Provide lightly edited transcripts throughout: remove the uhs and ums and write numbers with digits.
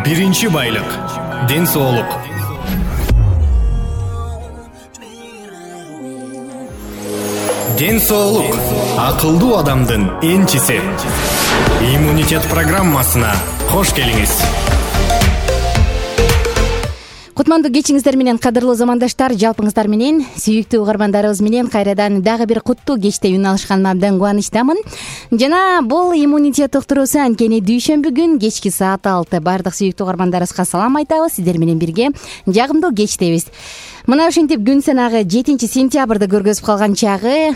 Биринчи байлык — ден соолук. Ден соолук — акылдуу адамдын энчиси. Иммунитет программасына кош келиңиз. Кутмандуу кечиңиздер менен, кадырлуу замандаштар, жалпыңыздар менен, сүйүктүү угармандарыбыз менен кайрадан дагы бир куттуу кечте үн алышканыма абдан кубанычтамын. Жана бул иммунитет уктуруусу анткени дүйшөмбү күн кечки саат 6. Бардык сүйүктүү угармандарыбызга салам айтабыз. Сиздер менен бирге жагымдуу кечтебиз. Мына ушинтип күн санагы 7 сентябрды көргөзүп калган чагы,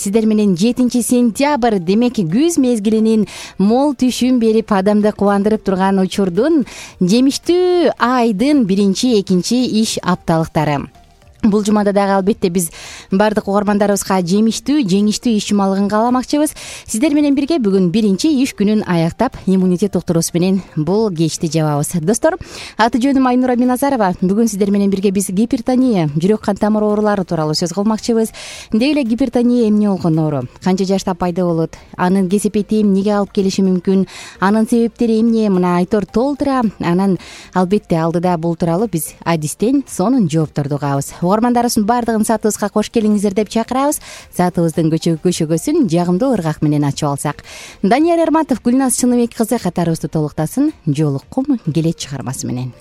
сиздер менен 7 сентябрь демек күз мезгилинин мол түшүн берип адамды кубандырып турган учурдун жемиштүү айдын биринчи, экинчи иш апталыктары. Бул жумада дагы албетте биз бардык угармандарыбызга жемиштүү, жеңиштүү иш жумалыгын кааламакчыбыз. Сиздер менен бирге бүгүн биринчи иш күнүн аяктап, иммунитет уктуруусу менен бул кечти жабабыз. Достор, аты жөнүм Айнура Миназарова. Бүгүн сиздер менен бирге биз гипертония, жүрөк кан тамыр оорулары тууралуу сөз кылмакчыбыз. Деги эле гипертония эмне болгон оору? Канча жашта пайда болот? Анын кесепети эмнеге алып келиши мүмкүн? Анын себептери эмне? Мына Айтор толтура. Анан албетте алдыда бул тууралуу биз адистен сонун жоопторду угабыз. Угармандарыбыздын бардыгын сатыбызга кош келиңиздер деп чакырабыз. Сатыбыздын көшөгөсүн жагымдуу ыргак менен ачып алсак. Данияр Эрматов, Гүлназ Чыныбек кызы катарыбызды толуктасын Жолуккум келет чыгармасы менен.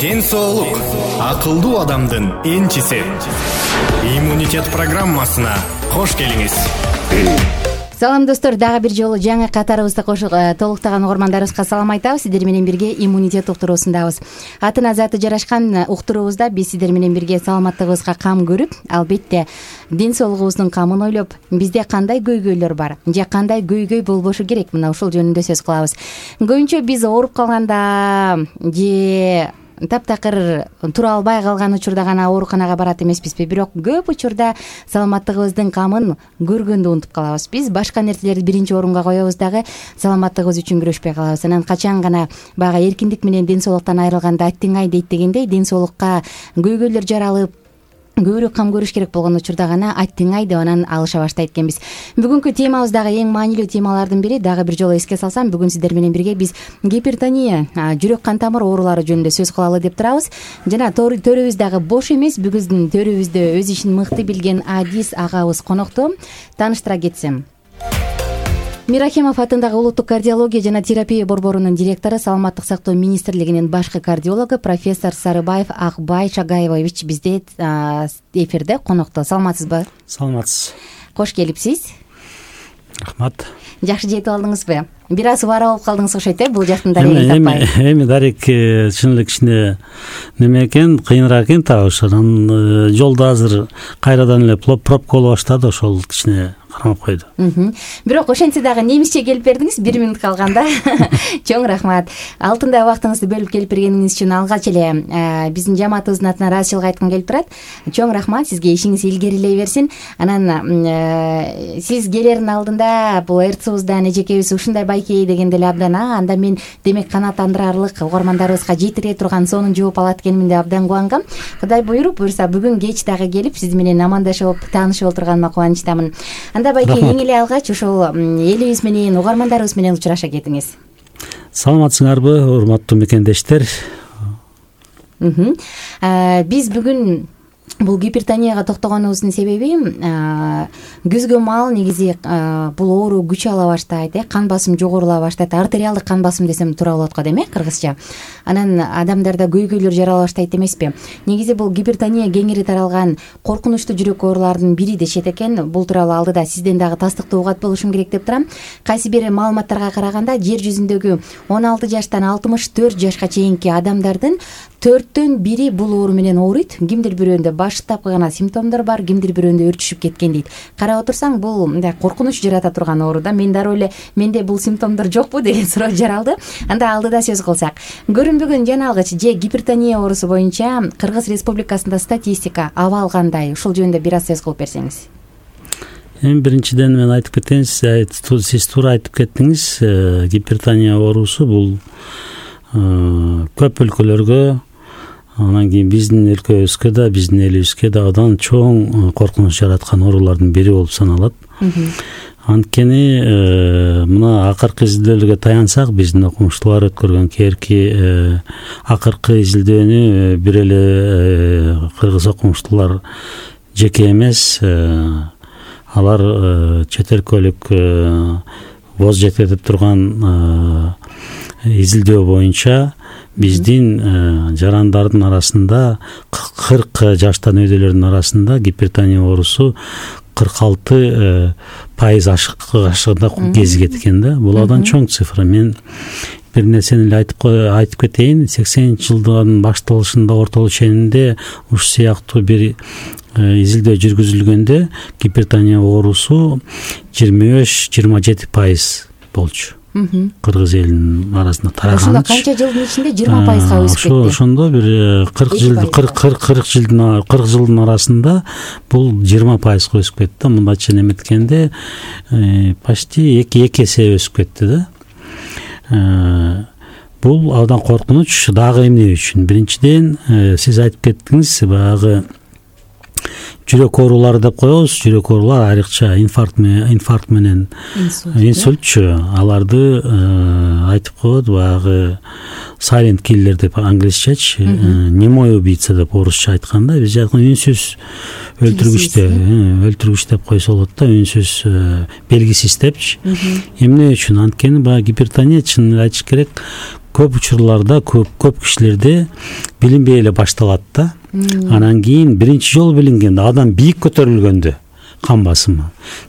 Ден соолук акылдуу адамдын энчиси. Иммунитет программасына кош келиңиз. Салам достор, дагы бир жолу жаңы катарыбызды толуктаган угармандарыбызга салам айтабыз. Сиздер менен бирге иммунитет уктуруусундабыз. Атына заты жарашкан уктуруубузда биз сиздер менен бирге саламаттыгыбызга кам көрүп, албетте ден соолугубуздун камын ойлоп, бизде кандай көйгөйлөр бар же кандай көйгөй болбошу керек, мына ушул жөнүндө сөз кылабыз. Көбүнчө биз ооруп калганда же таптакыр тура албай калган учурда гана ооруканага барат эмеспизби, бирок көп учурда саламаттыгыбыздын камын көргөндө унутуп калабыз. Биз башка нерселерди биринчи орунга коебуз дагы саламаттыгыбыз үчүн күрөшпөй калабыз. Анан качан гана баягы эркиндик менен ден соолуктан айрылганда аттиң ай дейт дегендей, ден соолукка көйгөйлөр жаралып көбүрөөк кам көрүш керек болгон учурда гана аттиң ай деп анан алыша баштайт экенбиз. Бүгүнкү темабыз дагы эң маанилүү темалардын бири. Дагы бир жолу эске салсам, бүгүн сиздер менен бирге биз гипертония, жүрөк кан тамыр оорулары жөнүндө сөз кылалы деп турабыз. Жана төрүбүз дагы бош эмес. Бүгүндүн төрүбүздө өз ишин мыкты билген Адис агабыз конокто. Тааныштыра кетсем, Мирахимов атындагы улуттук кардиология жана терапия борборунун директору, Саламаттык сактоо министрлигинин башкы кардиологу профессор Сарыбаев Акбай Шагайбович бизде эфирде конокто. Саламатсызбы? Саламатсыз. Кош келипсиз. Рахмат. Жакшы жетип алдыңызбы? Бир аз убара болуп калдыңыз окшойт, бул жактын дарегин таппай. Эми дарек чын эле кичине неме экен, кыйыныраак экен табыш. Анан жолдо азыр кайрадан эле пробка боло баштады, ошол кичине кармап койду. Бирок ошентсе дагы немисче келип бердиңиз 1 мүнөт калганда. Чоң рахмат. Алтындай убактыңызды бөлүп келип бергениңиз үчүн алгач эле биздин жамаатыбыздын атынан ыраазычылык айткым келип турат. Чоң рахмат, сизге ишиңиз илгерилей берсин. Анан сиз келердин алдында бул РЦУбуздан эжекебиз ушундай байкей дегенде эле абдан анда мен демек канааттандырарлык угармандарыбызга жетире турган сонун жооп алат экенимин деп абдан кубангам. Кудай буйруса бүгүн кеч дагы келип сиз менен амандашып, таанышып отурганыма кубанычтамын. Анда байке эң эле алгач ошол элибиз менен, угармандарыбыз менен учураша кетиңиз. Саламатсыңарбы, урматтуу мекендештер? Биз бүгүн бул гипертонияга токтогонубуздун себеби күзгө маал негизи бул оору күч ала баштайт, кан басым жогорула баштайт. Артериалдык кан басым десем туура болот го дейм, кыргызча. Анан адамдарда көйгөйлөр жарала баштайт эмеспи? Негизи бул гипертония кеңири таралган коркунучтуу жүрөк ооруларынын бири дешет экен. Бул тууралуу алдыда сизден дагы тастыктуу угат болушум керек деп турам. Кайсы бир маалыматтарга караганда жер жүзүндөгү 16 жаштан 64 жашка чейинки адамдардын 4төн 1 бул оору менен ооруйт. Кимдир бирөөндө баштапкы гана симптомдор бар, кимдир бирөөндө өрчүшүп кеткен дейт. Карап отурсаң, бул мындай коркунуч жарата турган оору да. Мен дароо эле менде бул симптомдор жокпу деген суроо жаралды. Анда алдыда сөз кылсак, көрүнбөгөн жаналгыч же гипертония оорусу боюнча Кыргыз Республикасында статистика абал кандай? Ушул жөнүндө бир аз сөз кылып берсеңиз. Эми биринчиден мен айтып кетейин, сиз туура айтып кеттиңиз. Гипертония оорусу бул көп өлкөлөргө, анан кийин биздин өлкөбүзгө да, биздин элибизге да абдан чоң коркунуч жараткан оорулардын бири болуп саналат. Анткени мына акыркы изилдөөлөргө таянсак, биздин окумуштуулар өткөргөн кээрки акыркы изилдөөнү бир эле кыргыз окумуштуулар жеке эмес, алар чет өлкөлүк воз жеткирип турган изилдөө боюнча биздин жарандардын арасында 40 жаштан өйдөлөрдүн арасында гипертония оорусу 46% ашыгында кезигет экен да. Бул абдан чоң цифра. Мен бир нерсени эле айтып кетейин. 80-жылдын башталышында ортолук ченинде ушу сыяктуу бир изилдөө жүргүзүлгөндө гипертония оорусу 25-27% болчу. Кыргыз элинин арасында тараган. Ошондо канча жылдын ичинде 20%га өсүп кетти. Ошондо бир 40 жылдын арасында бул 20%га өсүп кетти. Мындайча неметкенде почти 2 эсе өсүп кетти да. Бул абдан коркунуч. Дагы эмне үчүн? Биринчиден, сиз айтып кеттиңиз, баягы жүрөк оорулары деп коебуз. Жүрөк оорулар айрыкча инфаркт менен инсультчу. Аларды айтып коет, баягы silent killer деп англисчечи, немой убийца деп орусча айтканда, биз айткан үнсүз өлтүргүч деп койсо болот да, үнсүз, белгисиз депчи. Эмне үчүн? Анткени баягы гипертония, чынын айтыш керек, көп учурларда, көп кишилерде билинбей эле башталат да. Анан кийин биринчи жолу билингенде, адам бийик көтөрүлгөндө кан басымы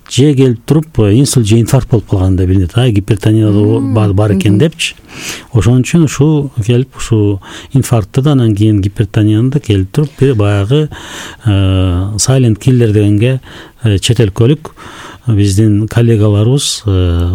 же келип туруп инсульт же инфаркт болуп калганда билинет, гипертония бар экен депчи. Ошон үчүн ушул келип ушул инфарктты да, анан кийин гипертонияны да келип туруп баягы silent killer дегенге чет өлкөлүк биздин коллегаларыбыз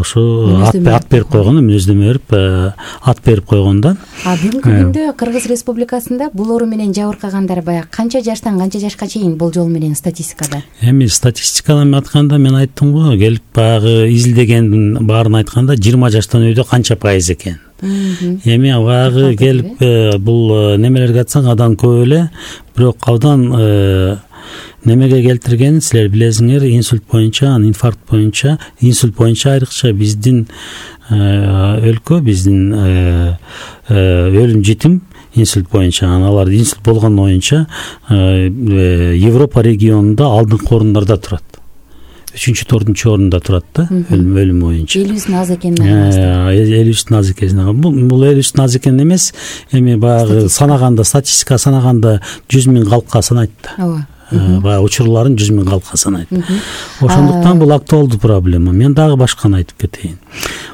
ушу ат берип койгон, мүнөздөмө берип ат берип койгон да. Бүгүнкү күндө Кыргыз Республикасында бул оору менен жабыркагандар баягы канча жаштан канча жашка чейин болжол менен статистикада? Эми статистикадан айтканда мен айттым го, келип баягы изилдегендин баарын айтканда 20 жаштан өйдө канча пайыз экен. Эми баягы келип бул немелерге айтсаң абдан көп эле, бирок абдан немеге келтиргенин силер билесиңер, инсульт боюнча, инфаркт боюнча, инсульт боюнча айрыкча биздин өлкө, биздин өлүм житим инсульт боюнча, алар инсульт болгон боюнча Европа регионунда алдыңкы орундарда турат. 3-4 орунда турат да, өлүм боюнча. Элүүсүн аз экенин элүүсүн аз экенин. Бул элүүсүн аз экен эмес, эми баягы санаганда, статистика санаганда 100 000 калкка санайт да. Баягы учурларын 100 000 калкка санайт. Ошондуктан бул актуалдуу проблема. Мен дагы башканы айтып кетейин.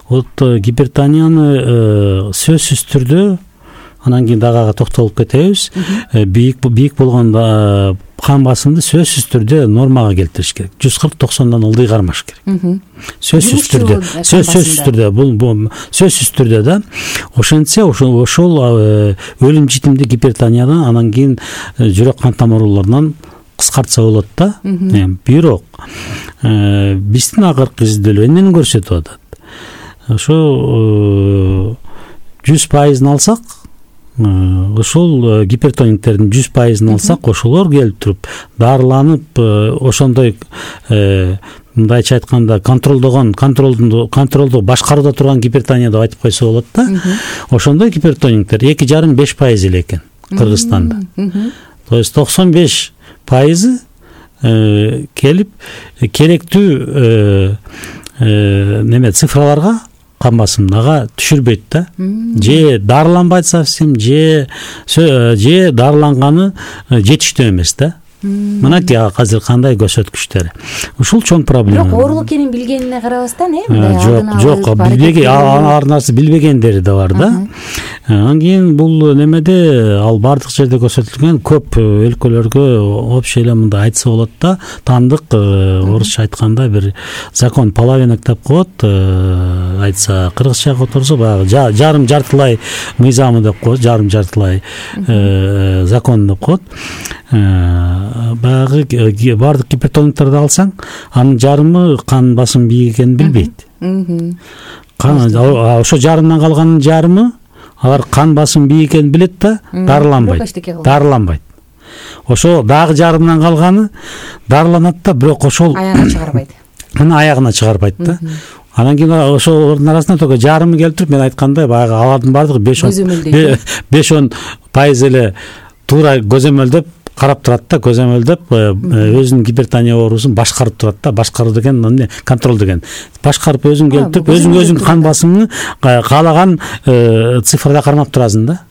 Вот гипертонияны сөзсүз түрдө, анан кийин дагы токтолуп кетебиз. Бийик болгондо кан басымды сөзсүз түрдө нормага келтириш керек. 140-90дан ылдый кармаш керек. Сөзсүз түрдө, бул сөзсүз түрдө да. Ошентсе ошол өлүм житимди гипертониядан, анан кийин жүрөк кан тамырларынан кыскартса болот да. Бирок биздин акыркы изилдөөлөр эмнени көрсөтүп атат? Ошо 100% алсак, ошол гипертоникттердин 100% алсак, ошолор келип туруп дарыланып, ошондой мындайча айтканда контролду башкарууда турган гипертония деп айтып койсо болот да. Ошондой гипертониктер 2,5-5% эле экен Кыргызстанда. То есть 95% келип керектүү неме цифраларга, кан басымына түшүрбөйт да. Же дарыланбайт совсем, же дарыланганы жетиштүү эмес да. Мынакей азыр кандай көрсөткүчтөр. Ушул чоң проблема. Бирок оорулук экенин билгенине карабастан, жок, билбеген, ар нарса билбегендери да бар да. Анан кийин бул немеде ал бардык жерде көрсөтүлгөн, көп өлкөлөргө общий эле мындай айтса болот да, таандык орусча айтканда бир закон половинок деп коет, айтса кыргызча которсо баягы жарым-жартылай мыйзамы деп коет, жарым-жартылай закон деп коет. Баягы бардык гипертониктарды алсаң, анын жарымы кан басым бийик экенин билбейт. Ошо жарымдан калганын жарымы алар кан басым бийик экенин билет да, дарыланбайт. Ошо дагы жарымдан калганы дарыланат да, бирок ошол аягына чыгарбайт да. Анан кийин ошолордун арасында только жарымы келип туруп, мен айткандай баягы алардын бардыгы 5-10% эле туура көзөмөлдөп карап турат да, көзөмөлдөп өзүнүн гипертония оорусун башкарып турат да. Башкаруу деген эмне? Контроль деген. Башкарып өзүң келип туруп, өзүң кан басымын каалаган цифрада кармап турасың да.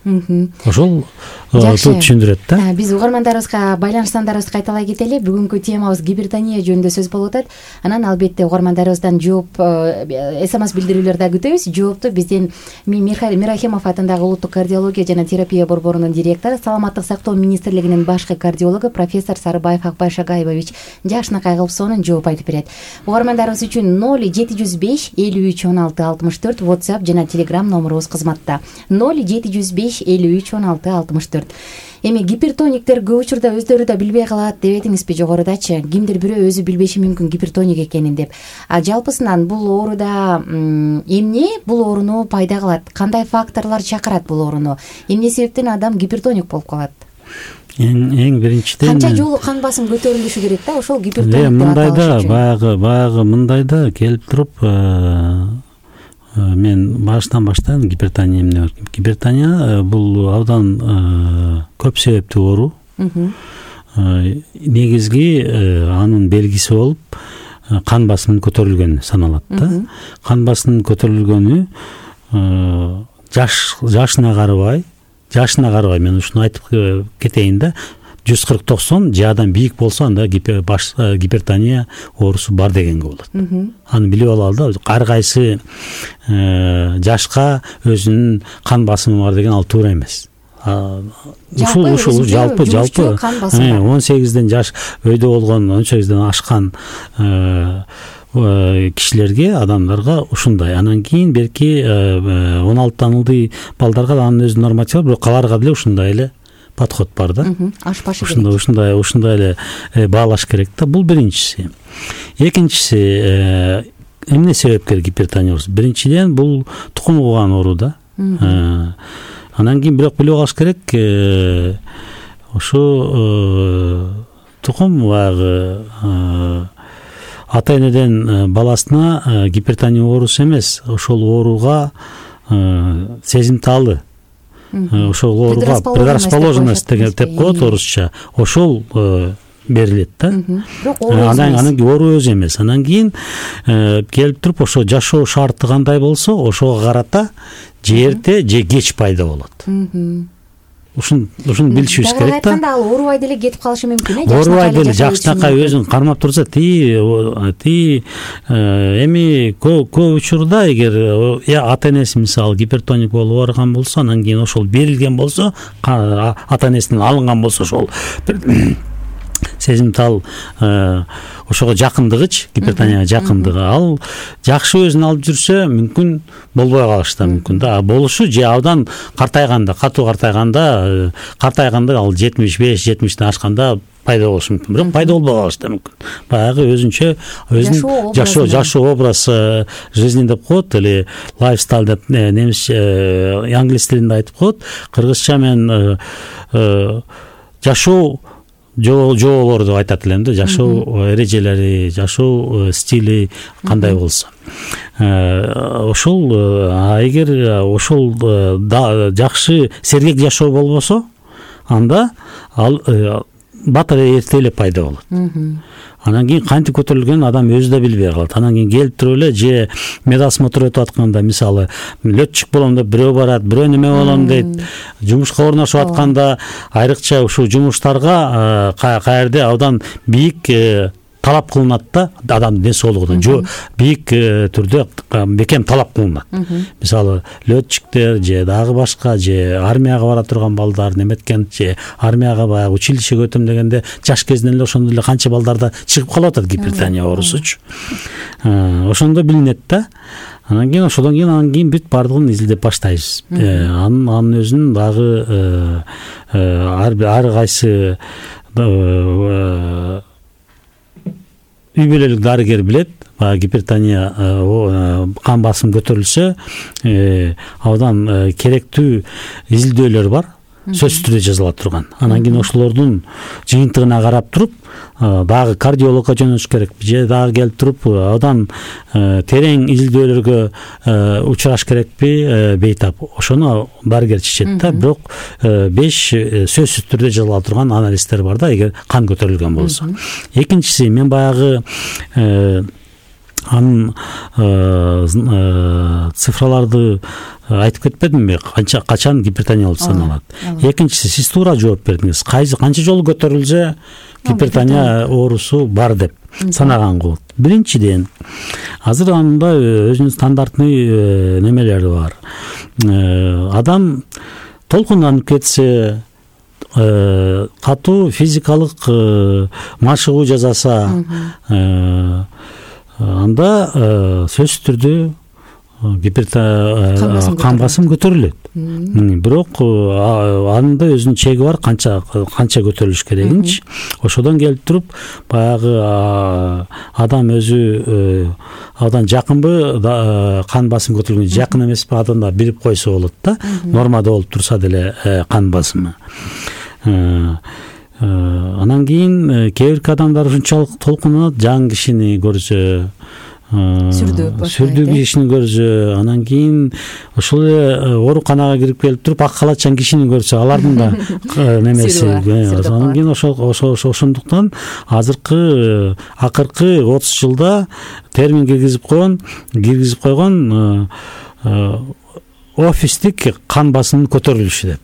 Ошол түшүндүрөт да. Биз угармандарыбызга байланышсандарыбызды кайталай кетели. Бүгүнкү темабыз гипертония жөнүндө сөз болуп атат. Анан албетте угармандарыбыздан жооп, СМС билдирүүлөр да күтөбүз. Жоопту бизден Мирахимов атындагы улуттук кардиология жана терапия борборунун директору, саламаттык сактоо министрлигинин башкы кардиологу профессор Сарыбаев Акбай Шагайбович жакшынакай кылып сонун жооп айтып берет. Угармандарыбыз үчүн 0705 53 16 64 WhatsApp жана Telegram номерубуз кызматта. 0705 53 16 64. Эми гипертониктер көп учурда өздөрү да билбей калат деп этиңизби жогорудачы? Кимдир бирөө өзү билбеши мүмкүн гипертоник экенин деп. Жалпысынан бул ооруда эмне бул ооруну пайда кылат? Кандай факторлор чакырат бул ооруну? Эмне себептен адам гипертоник болуп калат? Эң биринчиден канча жолу кан басым көтөрүлүшү керек да, ошол гипертоник деп аталышы үчүн. Баягы мындайда келип туруп мен башынан баштайын. Гипертония эмне бар? Гипертония бул абдан көп себептүү оору. Негизги анын белгиси болуп кан басымынын көтөрүлгөнү саналат да. Кан басымынын көтөрүлгөнү жашына карабай мен ушуну айтып кетейин да. 140-90 же адам бийик болсо анда гипертония оорусу бар дегенге болот. Аны билип алалы да. Ар кайсы жашка өзүнүн кан басымы бар деген ал туура эмес. Ушул жалпы 18ден жаш өйдө болгон 18ден ашкан кишилерге, адамдарга ушундай. Анан кийин берки 16 ылдый балдарга да анын өзүнүн нормативи бар, бирок аларга деле ушундай эле подход бар да. Ашпашы керек. Ушундай эле баалаш керек да. Бул биринчиси. Экинчиси, эмне себепкер гипертония оорусу? Биринчиден бул тукум кууган оору да. Анан кийин бирок билип алыш керек, ошо тукум баягы ата-энеден баласына гипертония оорусу эмес, ошол ооруга сезимталы, ошол ооруга предрасположенность деп коет орусча, ошол берилет да. Анан кийин оору өзү эмес. Анан кийин келип туруп ошо жашоо шарты кандай болсо, ошого карата же эрте же кеч пайда болот. Ушуну билишибиз керек да. Айтканда ал оорубай деле кетип калышы мүмкүн, Оорубай деле жакшынакай өзүн кармап турса, эми көп учурда эгер ата-энеси мисалы гипертоник болуп барган болсо, анан кийин ошол берилген болсо, ата-энесинен алынган болсо ошол сезимтал ошого жакындыгыч, гипертонияга жакындыгы, ал жакшы өзүн алып жүрсө мүмкүн болбой калышы да мүмкүн да. Болушу же абдан картайганда, катуу картайганда ал 75-70ден ашканда пайда болушу мүмкүн. Бирок пайда болбой калышы да мүмкүн. Баягы өзүнчө жашоо образ жизни деп коет, или лайфстайл деп немисче, англис тилинде айтып коет. Кыргызча мен жашоо жоолор деп айтат элем да. Жашоо эрежелери, жашоо стили кандай болсо. Ошол эгер ошол жакшы сергек жашоо болбосо, анда ал батыр эрте эле пайда болот. Анан кийин кантип көтөрүлгөнүн адам өзү да билбей калат. Анан кийин келип туруп эле же медосмотр өтүп атканда, мисалы летчик болом деп бирөө барат, бирөө неме болом дейт, жумушка орношуп атканда айрыкча ушул жумуштарга каерде абдан бийик талап кылынат да, адамдын ден соолугуна жо бийик түрдө бекем талап кылынат. Мисалы летчиктер же дагы башка, же армияга бара турган балдар, неметкен же армияга баягы училищеге өтөм дегенде жаш кезинен эле ошондой эле канча балдарда чыгып калып атат гипертония оорусучу. Ошондо билинет да. Анан кийин бүт бардыгын изилдеп баштайбыз. Анын өзүнүн дагы ар кайсы үй бүлөлүк дарыгер билет. Гипертония кан басым көтөрүлсө, абдан керектүү изилдөөлөр бар, сөзсүз түрдө жазыла турган. Анан кийин ошолордун жыйынтыгына карап туруп дагы кардиологко жөнөтүш керек, же дагы келип туруп абдан терең изилдөөлөргө учураш керекпи, бейтап. Ошону дарыгер чечет да. Бирок 5 сөзсүз түрдө жазыла турган анализдер бар да, эгер кан көтөрүлгөн болсо. Экинчиси, мен баягы анын цифраларды айтып кетпедимби, качан гипертония болуп саналат. Экинчиси, сиз туура жооп бердиңиз. Канча жолу көтөрүлсө гипертония оорусу бар деп санаганга болот. Биринчиден, азыр анда өзүнүн стандартный немелери бар. Адам толкунданып кетсе, катуу физикалык машыгуу жасаса, анда сөзсүз түрдө кан басым көтөрүлөт. Бирок анда өзүнүн чеги бар, канча көтөрүлүш керегинчи. Ошодон келип туруп баягы адам өзү абдан жакынбы кан басым көтөрүлгөн, жакын эмеспи, адамдар билип койсо болот да. Нормада болуп турса деле кан басымы. Анан кийин кээ бирки адамдар ушунчалык толкунат, жаңы кишини көрсө, сүрдүү кишини көрсө, анан кийин ошол эле ооруканага кирип келип туруп ак халатчан кишини көрсө, алардын да немеси, анан кийин ошондуктан акыркы 30 жылда термин киргизип койгон офистик кан басымынын көтөрүлүшү деп.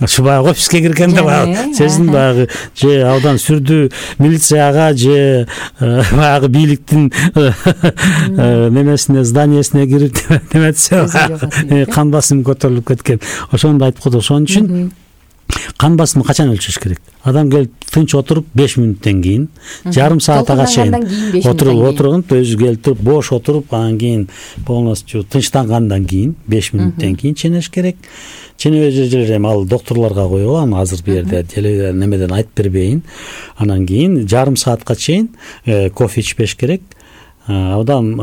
Ошо баягы офиске киргенде баягы сиздин баягы же абдан сүрдүү милицияга же баягы бийликтин немесине, зданиясына кирип неметсе кан басымы көтөрүлүп кеткен. Ошону айтып койду. Ошон үчүн кан басымын качан өлчөш керек? Адам келип тынч отуруп 5 мүнөттөн кийин, жарым саатка чейин отурган, өзү келип туруп бош отуруп, анан кийин полностью тынчтангандан кийин 5 мүнөттөн кийин ченеш керек. Ченебей жүрүп эми ал докторлорго коюлган, азыр бу жерде немеден айтып бербейин. Анан кийин жарым саатка чейин кофе ичпеш керек. Абдан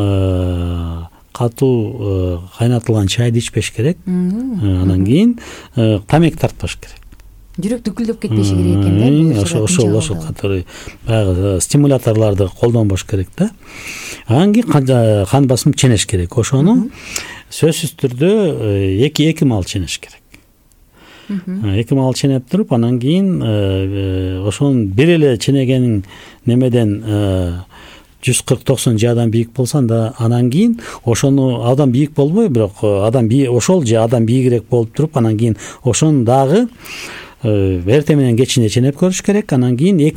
катуу кайнатылган чайды ичпеш керек. Анан кийин тамеки тартпаш керек. Жүрөк дүкүлдөп кетпеши керек экен да. Ошол катары баягы стимуляторлорду колдонбош керек да. Анан кийин кан басым ченеш керек. Ошону сөзсүз түрдө 2 маал ченеш керек. 2 маал ченеп туруп, анан кийин ошонун бир эле ченегенин немеден 140-90 жадан бийик болсо анда, анан кийин ошону абдан бийик болбой, бирок ошол же адам бийигирээк болуп туруп, анан кийин ошону дагы эртең менен кечинде ченеп көрүш керек. Анан кийин 2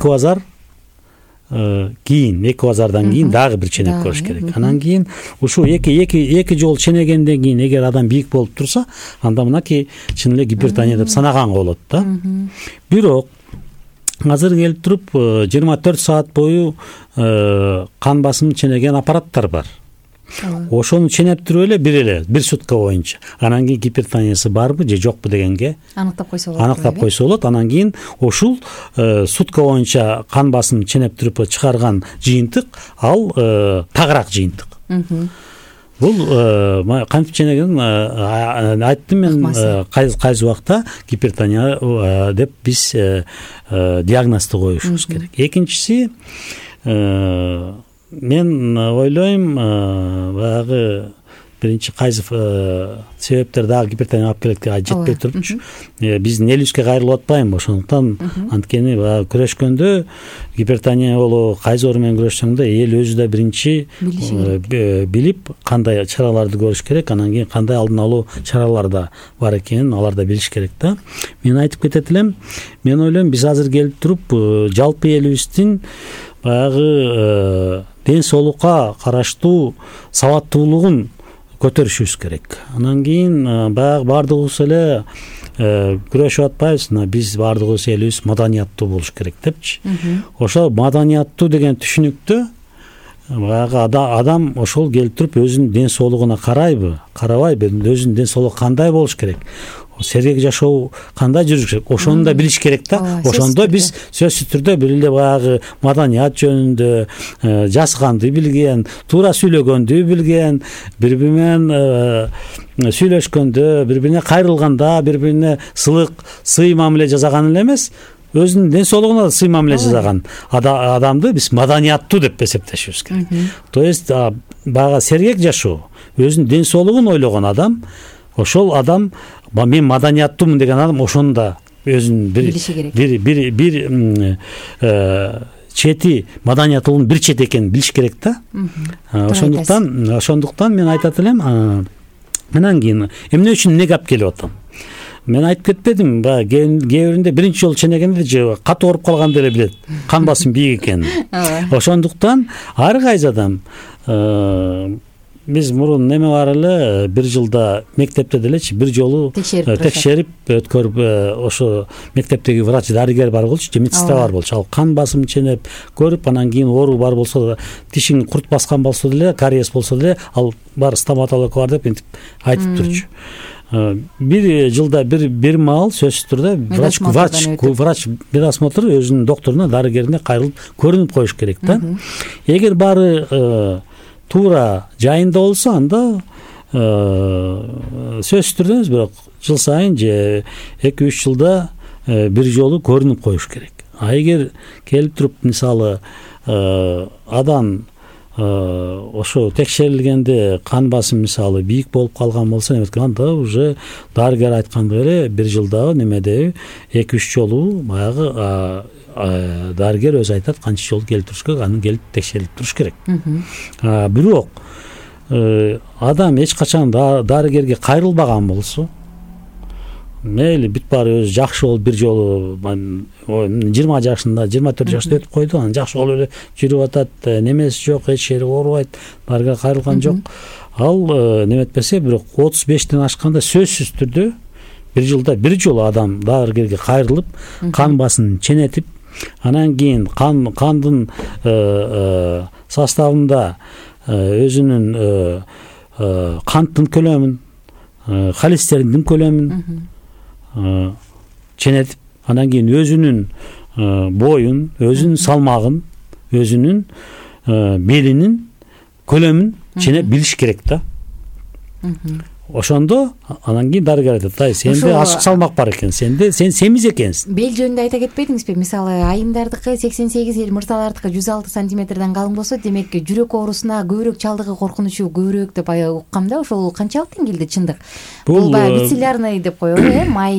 базардан кийин дагы бир ченеп көрүш керек. Анан кийин ушул эки жолу ченегенден кийин эгер адам бийик болуп турса, анда мынакей чын эле гипертония деп санаганга болот да. Бирок азыр келип туруп 24 саат бою кан басымын ченеген аппараттар бар. Ошону ченеп туруп эле бир сутка боюнча, анан кийин гипертониясы барбы же жокпу дегенге аныктап койсо болот. Анан кийин ушул сутка боюнча кан басымын ченеп туруп чыгарган жыйынтык ал тагыраак жыйынтык. Бул кантип ченеген айттым мен, кайсы убакта гипертония деп биз диагнозду коюшубуз керек. Экинчиси, мен ойлойм, баягы биринчи кайсы себептер дагы гипертония алып келет жетпей турупчу. Биздин элибизге кайрылып атпайбы? Ошондуктан анткени баягы күрөшкөндө гипертония болобу, кайсы оору менен күрөшсөң да эл өзү да биринчи билип кандай чараларды көрүш керек, анан кийин кандай алдын алуу чаралар да бар экенин алар да билиш керек да. Мен айтып кетет элем, мен ойлойм биз азыр келип туруп жалпы элибиздин баягы ден соолукка караштуу сабаттуулугун көтөрүшүбүз керек. Анан кийин баягы баардыгыбыз эле күрөшүп атпайбызбы? Биз баардыгыбыз элибиз маданияттуу болуш керек депчи. Ошо маданияттуу деген түшүнүктө баягы адам ошол келип туруп өзүнүн ден соолугуна карабайбы, өзүнүн ден соолугу кандай болуш керек, сергек жашоо кандай жүрүш керек, ошону да билиш керек да. Ошондо биз сөзсүз түрдө бир эле баягы маданият жөнүндө жазганды билген, туура сүйлөгөндү билген, бири бири менен сүйлөшкөндө, бири бирине кайрылганда, бири бирине сый мамиле жасаган эле эмес, өзүнүн ден соолугуна да сый мамиле жасаган адамды биз маданияттуу деп эсептешибиз керек. То есть баягы сергек жашоо, өзүнүн ден соолугун ойлогон адам, ошол адам мен маданияттуумун деген адам ошону да өзүнүн бир чети маданияттуулугунун бир чети экенин билиш керек да. Ошондуктан мен айтат элем, анан кийин эмне үчүн эмнеге алып келип атам? Мен айтып кетпедим, кээ биринде биринчи жолу ченегенде же катуу ооруп калганда эле билет кан басым бийик экенин. Ошондуктан ар кайсы адам, биз мурун неме бар эле, бир жылда мектепте делечи бир жолу текшерип өткөрүп, ошо мектептеги врач, дарыгер бар болчу, же медсестра бар болчу. Ал кан басымын ченеп көрүп, анан кийин оору бар болсо, тишиң курт баскан болсо деле, кариес болсо деле, ал бар стоматолог бар деп интип айтып турчу. Бир жылда бир маал сөзсүз түрдө врач бир осмотр өзүнүн докторуна, дарыгерине кайрылып көрүнүп коюш керек да. Эгер баары туура жайында болсо, анда сөзсүз түрдө эмес, бирок жыл сайын же 2-3 жылда бир жолу көрүнүп коюш керек. А эгер келип туруп, мисалы, адам ошо текшерилгенде кан басым мисалы бийик болуп калган болсо анда уже дарыгер айткандай эле бир жылдагы немедеби 2-3 жолу баягы дарыгер өзү айтат канча жолу келип туруш керек, анын келип текшерилип туруш керек. Бирок адам эч качан дарыгерге кайрылбаган болсо, мейли бүт баары өзү жакшы болуп бир жолу 20 жашында 24 жашта өтүп койду, анан жакшы болуп эле жүрүп атат, немеси жок, эч жери оорубайт, дарыгерге кайрылган жок. Ал неметпесе бирок 35тен ашканда сөзсүз түрдө бир жылда бир жолу адам дарыгерге кайрылып, кан басымын ченетип, анан кийин кандын составында өзүнүн канттын көлөмүн, холестериндин көлөмүн ченетип, анан кийин өзүнүн боюн, өзүнүн салмагын, өзүнүн белинин көлөмүн ченеп билиш керек да. Ошондо анан кийин дарыгер айтат, сенде ашык салмак бар экен, сен семиз экенсиң. Бел жөнүндө айта кетпедиңизби? Мисалы айымдардыкы 88, мырзалардыкы 106 сантиметрден калың болсо, демек жүрөк оорусуна көбүрөөк чалдыгы коркунучу көбүрөөк деп уккам да. Ошол канчалык деңгээлде чындык? Бул баягы бицелярный деп коелу, май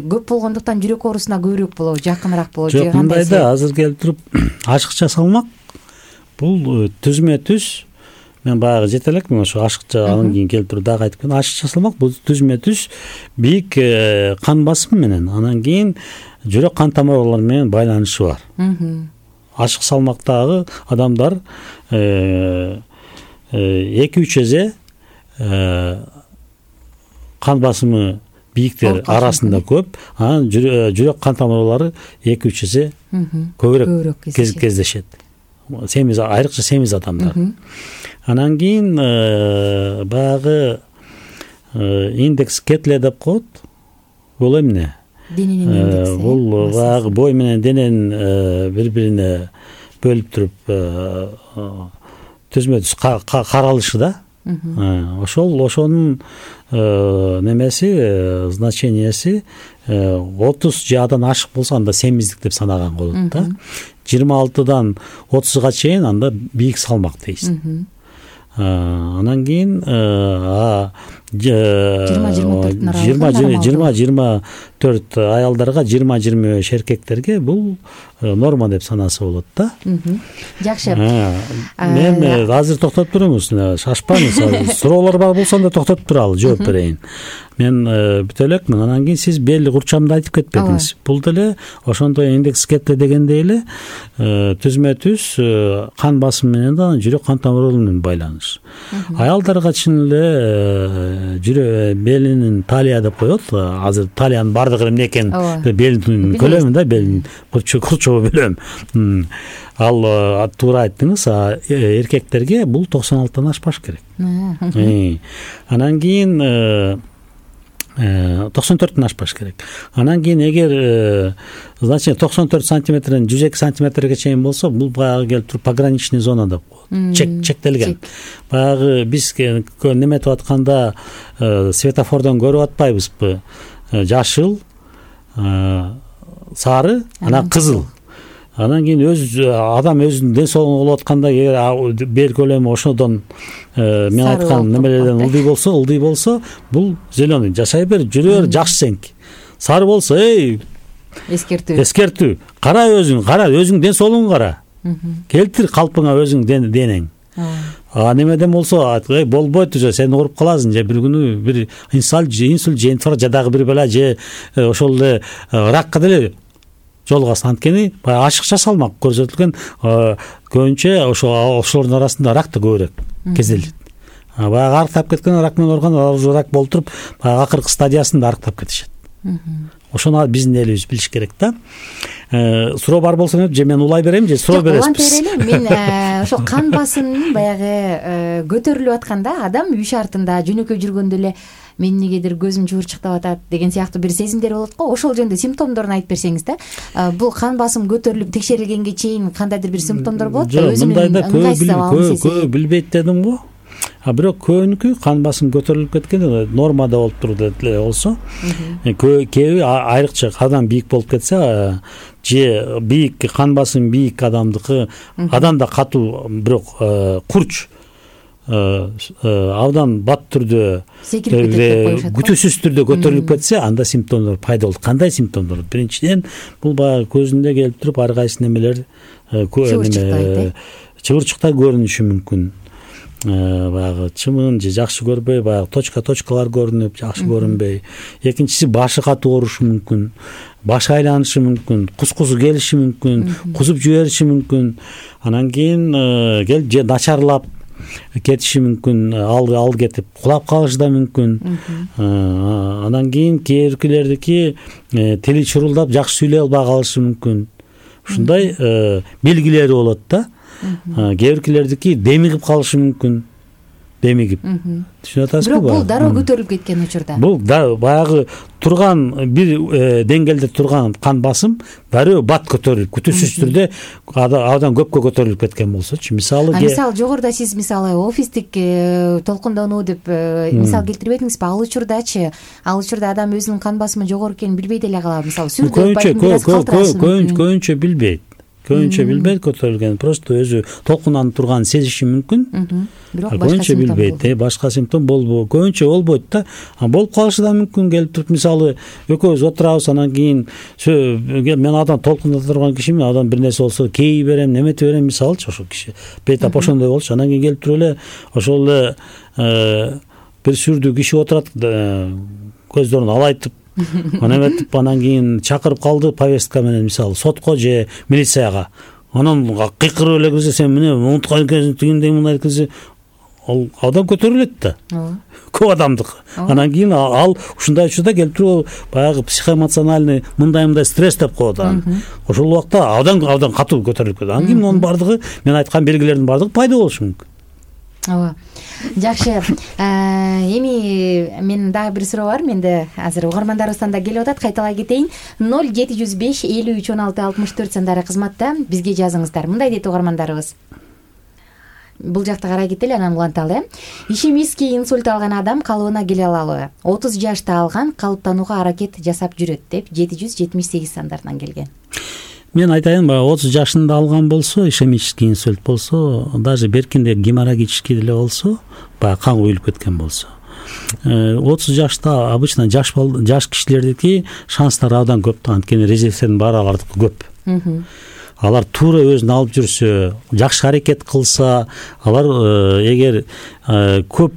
көп болгондуктан жүрөк оорусуна көбүрөөк болобу, жакыныраак болобу же кандай? Мындай да, азыр келип туруп ашыкча салмак бул түзмө-түз. Мен баягы жете элекмин ошо ашыкча, анан кийин келип туруп дагы айтып кетем. Ашыкча салмак бул түзмө-түз бийик кан басым менен, анан кийин жүрөк кан тамырлары менен байланышы бар. Ашык салмактагы адамдар 2-3 эсе кан басымы бийиктер арасында көп, анан жүрөк кан тамырлары 2-3 эсе көбүрөөк кездешет. Семиз, айрыкча семиз адамдар. Анан кийин баягы индекс Кетле деп коет. Бул эмне? Дененин индекси. Бул баягы бой менен дененин бири-бирине бөлүп туруп түзмө-түз каралышы да. Ошонун немеси, значенияси 30 же адан ашык болсо анда семиздик деп санаган болот да. 26-дан 30-га чейин анда бийик салмак дейсиң. Анан кийин 20-24 аялдарга, 20-25 эркектерге бул норма деп санаса болот да. Жакшы. Мен азыр токтоп турумуз, шашпаңыз. Суроолор бар болсо да токтотуп туралы, жооп берейин. Мен бүт элекмин. Анан кийин сиз белли курчамды айтып кетпедиңиз. Бул деле ошондой индекс Кетле дегендей эле түзмө-түз кан басымы менен да жүрөк кан тамырлары менен байланыш. Аялдарга чын эле белинин талия деп коет. Азыр талиянын бардыгы эмне экен? Белинин көлөмү да, белинин курчоо бөлөм. Ал туура айттыңыз. Эркектерге бул 96-тан ашпаш керек. Анан кийин 94-тен ашпаш керек. Анан кийин эгер значит 94 сантиметрден 102 сантиметрге чейин болсо, бул баягы келип туруп пограничный зона деп коет. Чектелген. Баягы биз неметип атканда светофордон көрүп атпайбызбы? Жашыл, сары, анан кызыл. Анан кийин адам өзүнүн ден соолугун болуп атканда бел көлөмү ошодон мен айткан немелерден ылдый болсо, бул зеленый. Жашай бер, жүрө бер, жакшы сенки. Сары болсо, эскертүү. Кара өзүң ден соолугуңду кара. Келтир калпыңа өзүң денең. Немеден болсо, болбойт уже, сен ооруп каласың, же бир күнү бир инсульт же инфаркт же дагы бир бала же ошол эле ракка деле жолугасың. Анткени ашыкча салмак көрсөтүлгөн, көбүнчө ошолордун арасында рак да көбүрөөк кезделет. Баягы арыктап кеткен, рак менен ооруган, уже рак болуп туруп, баягы акыркы стадиясында арыктап кетишет. Ошону биздин элибиз билиш керек да. Суроо бар болсо же мен улай берем, же суроо бересиз? Мен ошо кан басымынын баягы көтөрүлүп атканда адам үй шартында жөнөкөй жүргөндө эле мен негедир көзүм жуурчуктап атат деген сыяктуу бир сезимдер болот го. Ошол жөнүндө симптомдорун айтып берсеңиз да. Бул кан басым көтөрүлүп текшерилгенге чейин кандайдыр бир симптомдор болот да, өзүнүн ыңгайсыз абалын сезет. Көп билбейт дедим го. бирок көбүнүкү кан басым көтөрүлүп кеткен нормада болуп турду болсо, кээби айрыкча абдан бийик болуп кетсе же бийик кан басым бийик адамдыкы адамда катуу бирок курч абдан бат түрдө күтүүсүз түрдө көтөрүлүп кетсе, анда симптомдор пайда болот. Кандай симптомдор? Биринчиден бул баягы көзүндө келип туруп ар кайсы немелер чыбырчыктар көрүнүшү мүмкүн. Баягы чымын же жакшы көрбөй, баягы точкалар көрүнүп, жакшы көрүнбөй. Экинчиси башы катуу оорушу мүмкүн, башы айланышы мүмкүн, кускусу келиши мүмкүн, кузуп жибериши мүмкүн. Анан кийин келип же начарлап кетиши мүмкүн, ал кетип кулап калышы да мүмкүн. Анан кийин кээбиркилердики тили чурулдап жакшы сүйлөй албай калышы мүмкүн. Ушундай белгилери болот да. Кээбиркилердики демигип калышы мүмкүн. Демигип. Түшүнүп атасызбы? Бирок бул дароо көтөрүлүп кеткен учурда. Бул баягы турган бир деңгээлде турган кан басым дароо бат көтөрүлүп, күтүүсүз түрдө абдан көпкө көтөрүлүп кеткен болсочу. Мисалы жогоруда сиз офистик толкундонуу деп мисал келтирбедиңизби? Ал учурдачы, адам өзүнүн кан басымы жогору экенин билбей деле калабы? Мисалы көбүнчө билбейт. Көтөрүлген, просто өзү толкунданып турганын сезиши мүмкүн. Бирок көбүнчө билбейт, башка симптом көбүнчө болбойт да. Болуп калышы да мүмкүн. Келип туруп, мисалы, экөөбүз отурабыз, анан кийин мен адам толкундата турган кишимин, адам бир нерсе болсо кей берем, неметип берем, мисалычы, ошол киши бейтап ошондой болчу. Анан кийин келип туруп эле ошол эле бир сүрдүү киши отурат, көздөрүн алайтып, эметип, анан кийин чакырып калды повестка менен, мисалы, сотко же милицияга. Анан кыйкырып эле кирсе, сен мына унуткан экенсиң, тигиндей мындай кирсе, ал адам көтөрүлөт да. Көп адамдыкы. Анан кийин ал ушундай учурда келип туруп баягы психоэмоциональный мындай стресс деп коет аны. Ошол убакта абдан катуу көтөрүлүп кетет. Анан кийин мунун бардыгы, мен айткан белгилердин бардыгы пайда болушу мүмкүн. Ооба. Жакшы. Эми менин дагы бир суроо бар. Менде азыр угармандарыбыздан да келип атат. Кайталай кетейин. 0705 53 16 64 сандары кызматта бизге жазыңыздар. Мындай дейт угармандарыбыз. Бул жакта карай кетели, анан уланталы. Ишемический инсульт алган адам калыбына келе алалы. 30 жашта алган, калыптанууга аракет жасап жүрөт деп 778 сандарынан келген. Мен айтайын, 30 жашында алган болсо, ишемический инсульт болсо, даже беркинде геморрагический деле болсо, баягы кан куюлуп кеткен болсо, 30 жашта обычно жаш кишилердики шанстары абдан көп да, анткени резервтердин баары алардыкы көп. Алар туура өзүн алып жүрсө, жакшы аракет кылса, алар эгер көп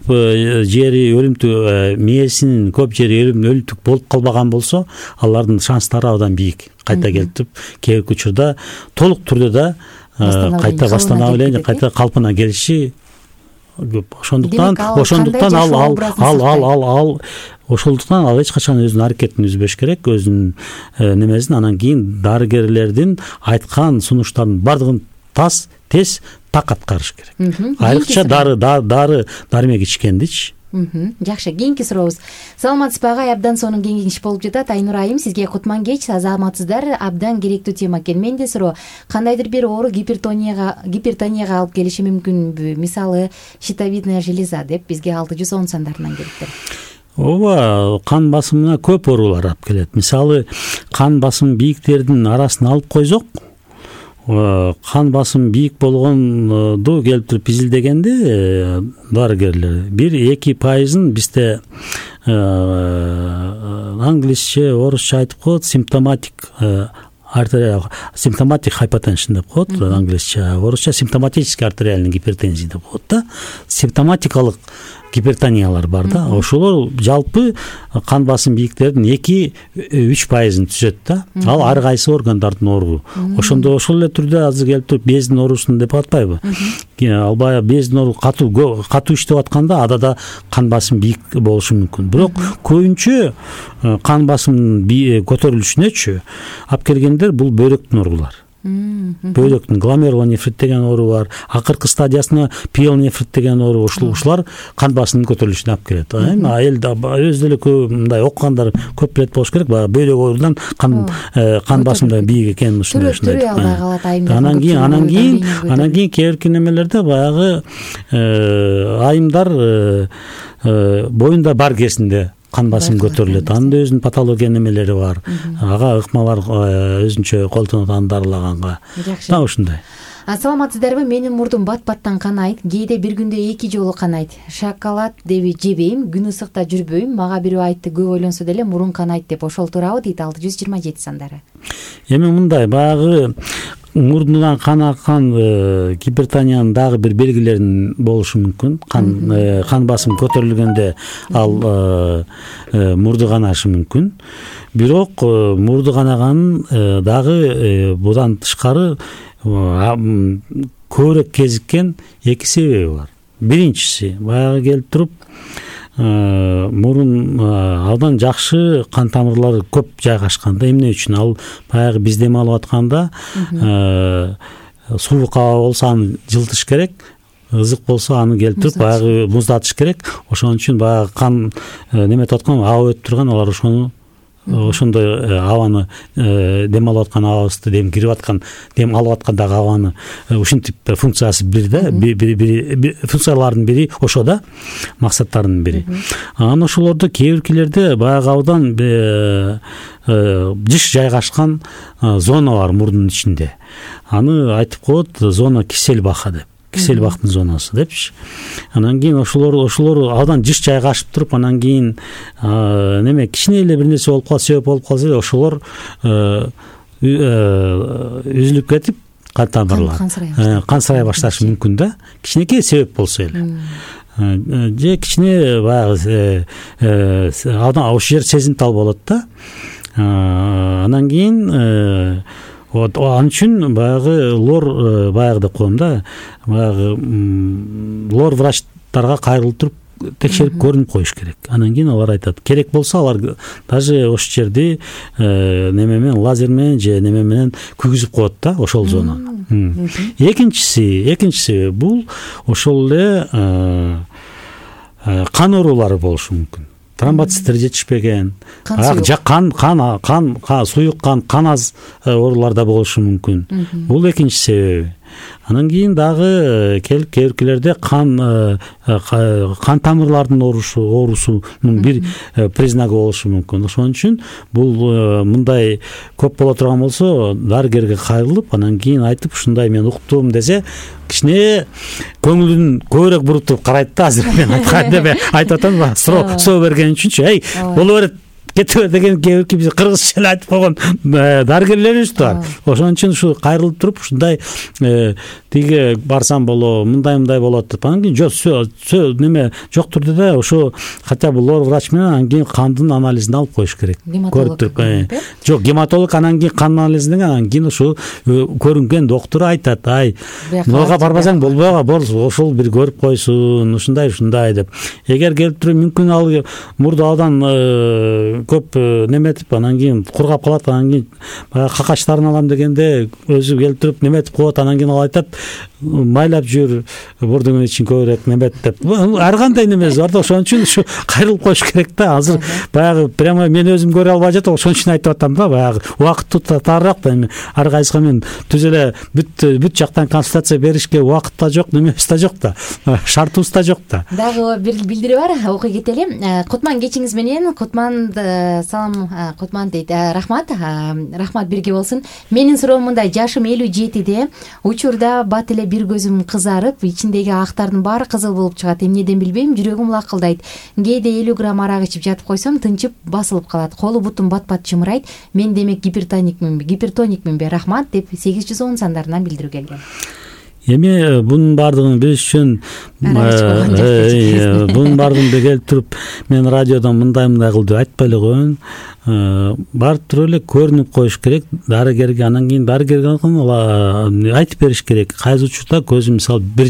жери өлүмтүк, мээсинин көп жери өлүмтүк болуп калбаган болсо, алардын шанстары абдан бийик. Кайта келип, кээбирки учурда толук түрдө да кайта восстановление, кайта калпына келиши көп. Ошондуктан ал эч качан өзүнүн аракетин үзбөш керек, өзүнүн немесин. Анан кийин дарыгерлердин айткан сунуштардын бардыгын тез так аткарыш керек. Айрыкча дары-дармек ичкендичи. Жакшы, кийинки сурообуз. Саламатсызбы агай, абдан сонун кеңеш болуп жатат. Айнур айым, сизге кутман кеч, азаматсыздар, абдан керектүү тема экен. Менде суроо, кандайдыр бир оору гипертонияга алып келиши мүмкүнбү? Мисалы, щитовидная железа деп бизге 610 сандарынан келиптир. Ооба, кан басымына көп оорулар алып келет. Мисалы, кан басым бийиктердин арасын алып койсок, кан басым бийик болгонду келип туруп изилдегенде дарыгерлер 1-2% бизде англисче, орусча айтып коет, симптоматик hypertension деп коет, англисче, орусча симптоматический артериальный гипертензия деп коет да. Симптоматикалык гипертониялар бар да. Ошолор жалпы кан басым бийиктердин 2-3% түзөт да. Ал ар кайсы органдардын оору. Ошондо ошол эле түрдө азыр келип туруп бездин оорусун деп атпайбы? Ал баягы бездин оору катуу иштеп атканда ада кан басым бийик болушу мүмкүн. Бирок көбүнчө кан басымдын көтөрүлүшүнөчү алып келгендер бул бөйрөктүн оорулары. бөйрөктүн гломерулонефрит деген оору бар, акыркы стадиясына пиелонефрит деген оору, ушулар кан басымынын көтөрүлүшүнө алып келет. Айылда өз деле көп мындай окугандар көп билет болуш керек, баягы бөйрөк оорудан кан басымы бийик экенин ушундай албай калат айымдар. Анан кийин кээ бирки немелерде баягы айымдар боюнда бар кезинде кан басымы көтөрүлөт. Анын да өзүнүн патология немелери бар. Ага ыкмалар өзүнчө колдонот аны дарылаганга. Да ушундай. Саламатсыздарбы? Менин мурдум бат-баттан канайт. Кээде бир күндө 2 жолу канайт. Шоколад деби жебейм, күн ысыкта жүрбөйм. Мага бирөө айтты, көп ойлонсо деле мурун канайт деп. Ошол туурабы дейт 627 сандары. Эми мындай, баягы мурдунан кан аккан гипертониянын дагы бир белгилерин болушу мүмкүн. Кан басым көтөрүлгөндө ал мурду канашы мүмкүн. Бирок мурду канаганын дагы будан тышкары көбүрөөк кезиккен 2 себеби бар. Биринчиси, баягы келип туруп мурун абдан жакшы кан тамырлары көп жайгашканда, эмне үчүн? Ал баягы биз дем алып атканда суук аба болсо аны жылытыш керек, ызык болсо аны келип туруп баягы муздатыш керек. Ошон үчүн баягы кан неметип аткан аба өтүп турган, алар ошондой абаны дем алып аткан абабызды, дем кирип аткан, дем алып аткандагы абаны ушинтип функциясы бир да, функциялардын бири ошо да, максаттарынын бири. Анан ошолордо кээ биркилерде баягы абдан жыш жайгашкан зона бар мурдун ичинде. Аны айтып коет зона Киселбаха деп. Киселбахтын зонасы депчи. Анан кийин ошолор абдан жыш жайгашып туруп, анан кийин неме кичине эле бир нерсе болуп калса, себеп болуп калса эле ошолор үзүлүп кетип, кан тамырлар кансырай башташы мүмкүн да. Кичинекей себеп болсо эле. Же кичине баягы абдан ошол жер сезимтал болот да. Анан кийин ал үчүн баягы лор баягы деп коем да, баягы лор врачтарга кайрылып туруп текшерип көрүнүп коюш керек. Анан кийин алар айтат, керек болсо алар даже ошол жерди неме менен, лазер менен же неме менен күйгүзүп коет да ошол зонаны. Экинчиси бул ошол эле кан оорулары болушу мүмкүн. Тромбоциттер жетишпеген, суюк кан аз ооруларда болушу мүмкүн. Бул экинчи себеби. Анан кийин дагы кээ биркилерде кан тамырлардын оорусунун бир признагы болушу мүмкүн. Ошон үчүн бул мындай көп боло турган болсо, дарыгерге кайрылып, анан кийин айтып, ушундай мен уктум десе, кичине көңүлүн көбүрөөк буруп туруп карайт да. Азыр мен айткан деп айтып атам, соо берген үчүнчү, боло берет, кете бер деген кээ бирки биз кыргызча эле айтып койгон дарыгерлерибиз бар. Ошон үчүн ушу кайрылып туруп, ушундай тиги барсам боло, мындай болот деп. Анан кийин жок, неме жоктур да, ошо хотя бы лор врач менен анан кийин кандын анализин алып коюш керек. Көрүп туруп. Жок, гематолог анан кийин кан анализинен анан кийин ушу көрүнгөн доктор айтат, мага барбасаң болбойго, ошол бир көрүп койсун, ушундай деп. Эгер келип туруп мүмкүн ал мурду абдан көп неметип, анан кийин кургап калат, анан кийин баягы какачтарын алам дегенде өзү келип туруп неметип коет, анан кийин ал айтат, майлап жүр, мурдуңдун ичин көбүрөөк неметип деп. Ар кандай немеси бар да, ошон үчүн ушу кайрылып коюш керек да. Азыр баягы прямо мен өзүм көрө албай жатам, ошон үчүн айтып атам да, баягы убакыт тарыраак да. Эми ар кайсыга мен түз эле бүт жактан консультация беришке убакыт да жок, немебиз да жок да, шартыбыз да жок да. Дагы бир билдирүү бар, окуй кетели. Кутман кечиңиз менен. Кутман салам, Кутман дейт. Рахмат бирге болсун. Менин суроом мындай: жашым 57-де, учурда бат эле бир көзүм кызарып, ичиндеги актардын баары кызыл болуп чыгат. Эмнеден билбейм, жүрөгүм лакылдайт. Кээде 50 грамм арак ичип жатып койсом, тынчып басылып калат. Колу бутум бат-бат жымырайт. Мен демек гипертоникминби? Рахмат деп 810 сандарынан билдирүү келген. Эми бунун баардыгын билиш үчүн бунун баардыгын келип туруп мен радиодон мындай кылды айтпай эле коеюн. Барып туруп эле көрүнүп коюш керек дарыгерге. Анан кийин дарыгерге айтып бериш керек. Кайсы учурда көзүм мисалы бир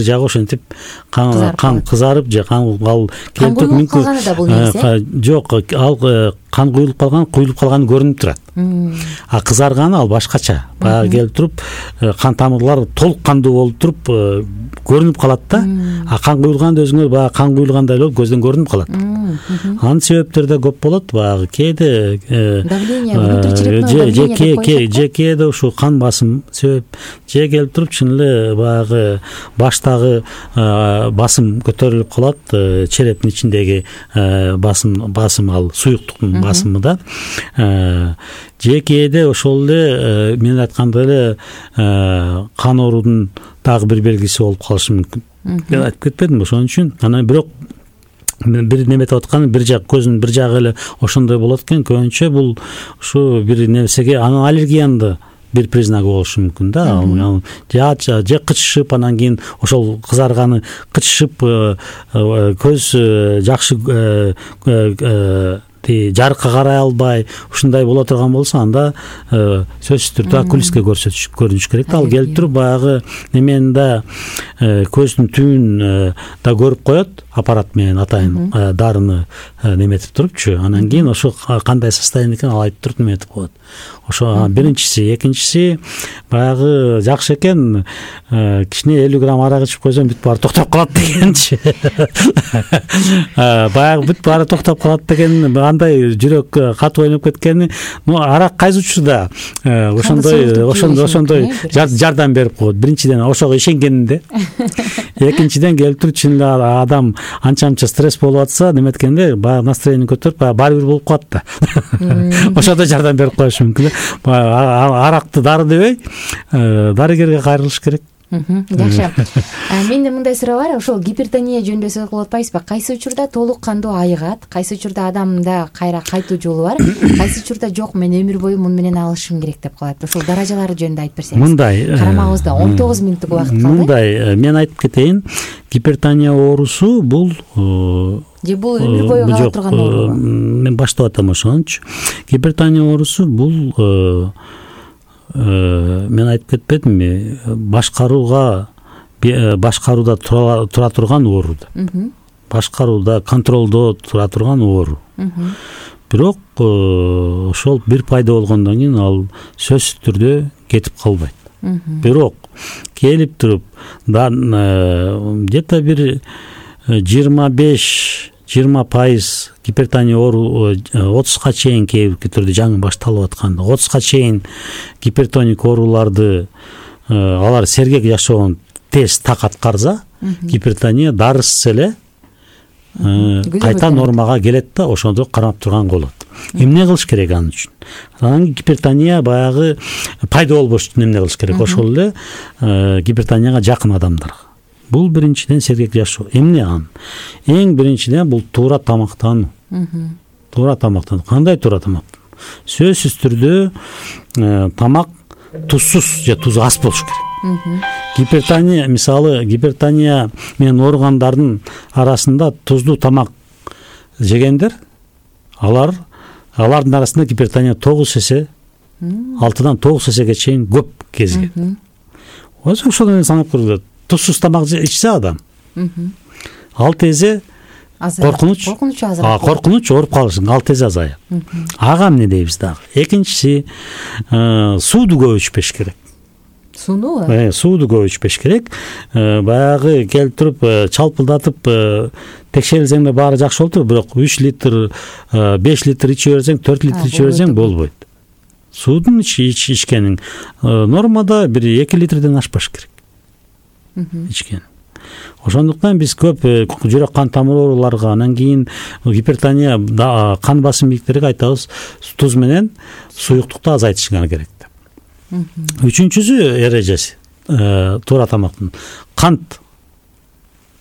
жагы ошентип кан кызарып же кан келип туруп мүмкүн. Жок, ал кан куюлуп калганы көрүнүп турат. А кызарганы ал башкача. Баягы келип туруп кан тамырлар толук кандуу болуп туруп көрүнүп калат да. А кан куюлганда өзүңөр баягы кан куюлгандай эле көздөн көрүнүп калат. Анын себептери да көп болот. Баягы кээде давление кээде ушу кан басым себеп, же келип туруп чын эле баягы баштагы басым көтөрүлүп калат, черептин ичиндеги басым ал суюктуктун басымы да. Же кээде ошол эле мен айткандай эле кан оорудун дагы бир белгиси болуп калышы мүмкүн. Мен айтып кетпедимби? Ошон үчүн анан бирок бир неметип аткан бир жак көзүнүн бир жагы эле ошондой болот экен. Көбүнчө бул ушу бир нерсеге анын аллергиянын бир признагы болушу мүмкүн да. Же кычышып, анан кийин ошол кызарганы кычышып, көз жакшы жарыкка карай албай ушундай боло турган болсо, анда сөзсүз түрдө окулистке көрүнүш керек. Ал келип туруп баягы немени да көздүн түбүн да көрүп коет, аппарат менен атайын дарыны неметип турупчу. Анан кийин ошо кандай состояние экен ал айтып туруп неметип коет. Ошо биринчиси. Экинчиси баягы жакшы экен кичине 50 грамм арак ичип койсоң бүт баары токтоп калат дегенчи. Баягы бүт баары токтоп калат деген андай жүрөк катып ойноп кеткени. Арак кайсы учурда ошондой жардам берип коет. Биринчиден ошого ишенгенинде. Экинчиден келип туруп чын эле адам анча стресс болуп атса, неметкенде баягы настроение көтөрүп баары бир болуп калат да. Ошондо жардам берип коюшу мүмкүн. Аракты дары дебей, дарыгерге кайрылыш керек. Жакшы. Менде мындай суроо бар. Ошол гипертония жөнүндө сөз кылып атпайсызбы? Кайсы учурда толук кандуу айыгат, кайсы учурда адамда кайра кайтуу жолу бар, кайсы учурда жок, мен өмүр бою муну менен алышым керек деп калат. Ошол даражалары жөнүндө айтып берсеңиз. Мындай. Карамагыбызда 19 мүнөттүк убакыт калды. Мындай, мен айтып кетейин. Гипертония оорусу бул же бул өмүр бою кала турган оору? Мен баштап атам ошончу. Гипертония оорусу бул мен айтып кетпедимби? Башкарууда тура турган оору. Башкарууда, контролдо тура турган оору. Бирок ошол бир пайда болгондон кийин ал сөзсүз түрдө кетип калбайт. Бирок келип туруп где-то бир 25-20% гипертония оору 30га чейин кээ түрдө жаңы башталып атканда 30га чейин гипертоник ооруларды алар сергек жашоон тез так аткарса, гипертония дарысыз эле кайта нормага келет да, ошондо кармап турган болот. Эмне кылыш керек анын үчүн? Анан гипертония баягы пайда болбош үчүн эмне кылыш керек? Ошол эле гипертонияга жакын адамдарга. Бул биринчиден сергек жашоо. Эмне ан? Эң биринчиден бул туура тамактануу. Туура тамактануу. Кандай туура тамактануу? Сөзсүз түрдө тамак тузсуз же тузу аз болуш керек. Гипертония, мисалы, гипертония менен ооругандардын арасында туздуу тамак жегендер, алардын арасында гипертония 9 эсе, 6-дан 9 эсеге чейин көп кезген. Ошол менен санап көргүлө. Тузсуз тамак ичсе адам 6 эсе коркунуч ооруп калышың 6 эсе азайат. Ага эмне дейбиз дагы? Экинчиси сууду көп ичпеш керек. Сууду көп ичпеш керек. Баягы келип туруп чалпылдатып текшерилсең да баары жакшы болот, бирок 3 литр, 5 литр иче берсең, 4 литр иче берсең болбойт. Суудун ичкениң нормада бир 2 литрден ашпаш керек. Ичкен. Ошондуктан биз көп жүрөк кан тамыр ооруларга, анан кийин гипертония кан басым бийликтерге айтабыз туз менен суюктукту азайтышыңар керек деп. Үчүнчүсү эрежеси туура тамактын.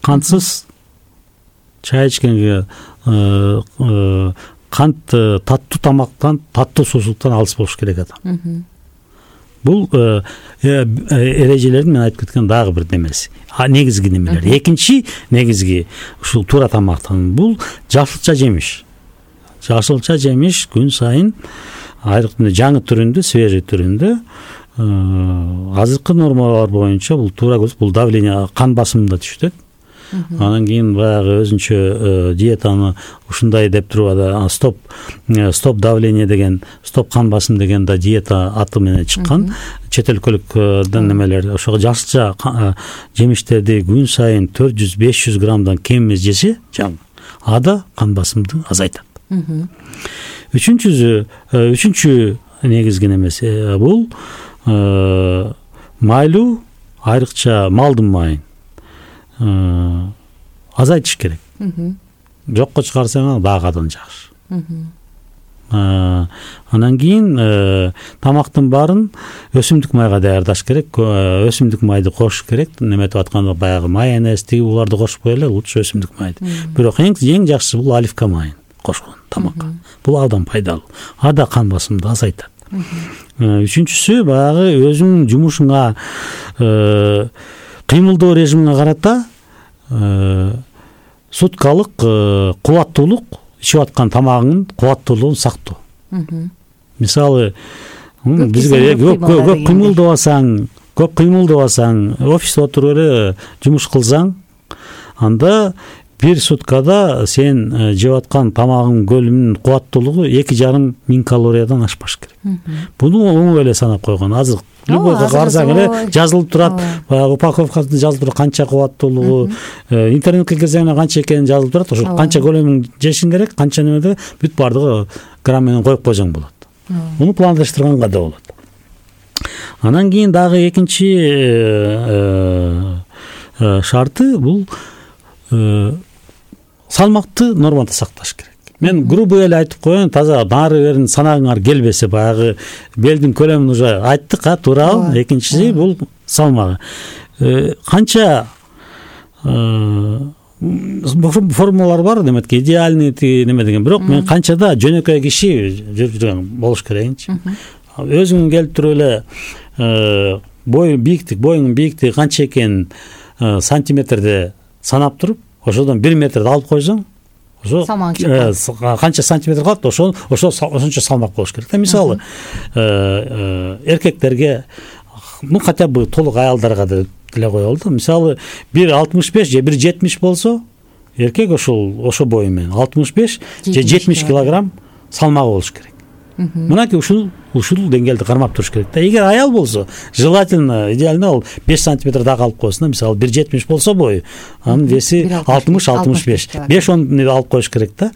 Кантсыз чай ичкенге кант таттуу тамактан, таттуу суусуктан алыс болуш керек адам. Бул эрежелердин мен айтып кеткен дагы бир немеси. Негизги немелер. Экинчи негизги ушул туура тамактан бул жашылча жемиш. Жашылча жемиш күн сайын айрыкча жаңы түрүндө, свежий түрүндө азыркы нормалар боюнча бул туура көз, бул давление, кан басымын да түшүтөт. Анан кийин баягы өзүнчө диетаны ушундай деп туруп стоп давление деген, стоп кан басым деген да диета аты менен чыккан. Чет өлкөлүк немелер ошого жашылча жемиштерди күн сайын 400-500 граммдан кем эмес жесе, ада кан басымды азайтат. Үчүнчү негизги немеси бул майлуу, айрыкча малдын майын азайтыш керек. Жокко чыгарсаң дагы адан жакшы. Анан кийин тамактын баарын өсүмдүк майга даярдаш керек. Өсүмдүк майды кошуш керек. Неметип атканда баягы майонез тиги буларды кошпой эле лучше өсүмдүк майды. Бирок эң жакшысы бул оливка майын кошкон тамакка. Бул абдан пайдалуу. Ада кан басымды азайтат. Үчүнчүсү баягы өзүңдүн жумушуңа кыймылдоо режимине карата суткалык кубаттуулук, ичип аткан тамагыңдын кубаттуулугун сактоо. Мисалы, бизге көп кыймылдабасаң, офисте отуруп эле жумуш кылсаң, анда бир суткада сен жеп аткан тамагың көлүмүнүн кубаттуулугу 2,5 калориядан ашпаш керек. Буну оңой эле санап койгон. Азыр любойго барсаң эле жазылып турат, баягы упаковкасында жазылып турат канча кубаттуулугу, интернетке кирсең канча экенин жазылып турат. Ошо канча көлөмүн жешиң керек, канча немеде бүт бардыгы грамм менен коюп койсоң болот. Муну пландаштырганга да болот. Анан кийин дагы экинчи шарты бул салмакты нормада сакташ керек. Мен грубо эле айтып коеюн, таза нары берин санагыңар келбесе, баягы белдин көлөмүн уже айттык, туурабы? Экинчиси бул салмагы. Канча формулалар бар, деметки идеальный неме деген. Бирок мен канчада жөнөкөй киши жүрүп жүргөн болуш керекинчи. Өзүң келип туруп эле боюңдун бийиктиги канча экенин сантиметрде санап туруп, ошодон 1 метрди алып койсоң, ошо канча сантиметр калат, ошончо салмак болуш керек. Мисалы, эркектерге, хотя бы толук аялдарга деле коелу да. Мисалы, 1,65 же 1,70 болсо, эркек ошо бою менен 65 же 70 килограмм салмагы болуш керек. Мынакей ушул деңгээлди кармап туруш керек да. Эгер аял болсо, желательно, идеально ал 5 сантиметр дагы алып койсун. Мисалы 1,70 болсо бою, анын веси 60-65. 5-10 алып коюш керек да.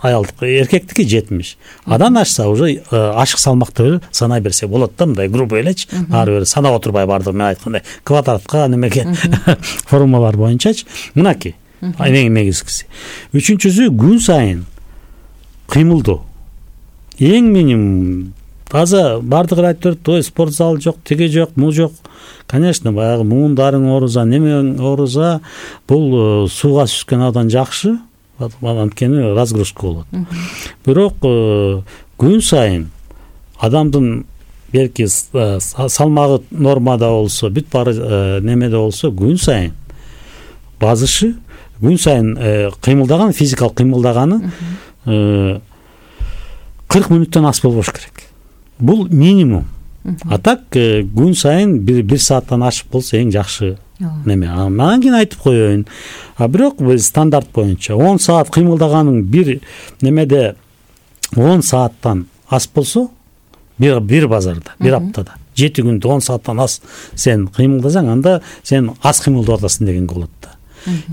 Аялдык, эркектики 70. Адан ашса уже ашык салмакты эле санай берсе болот да, мындай грубо элечи. Ары бери санап отурбай бардыгы мен айткандай квадратка немеге формулалар боюнчачы. Мынакей эң негизгиси. Үчүнчүсү күн сайын кыймылдоо. Эң минимум таза бардыгы айтып турат, спорт зал жок, тиги жок, му жок. Конечно, баягы муундарың ооруза, немең ооруза, бул сууга сүзгөн абдан жакшы, анткени разгрузка болот. Бирок күн сайын адамдын белки салмагы нормада болсо, бүт баары немеде болсо, күн сайын базышы, күн сайын кыймылдаган, физикалык кыймылдаганы 40 мүнөттөн аз болбош керек. Бул минимум. А так күн сайын 1 сааттан ашып болсо эң жакшы неме. Анан кийин айтып коеюн. Бирок биз стандарт боюнча 10 саат кыймылдаганың бир немеде 10 сааттан аз болсо, бир базарда, бир аптада 7 күндө 10 сааттан аз сен кыймылдасаң, анда сен аз кыймылдап атасың деген болот да.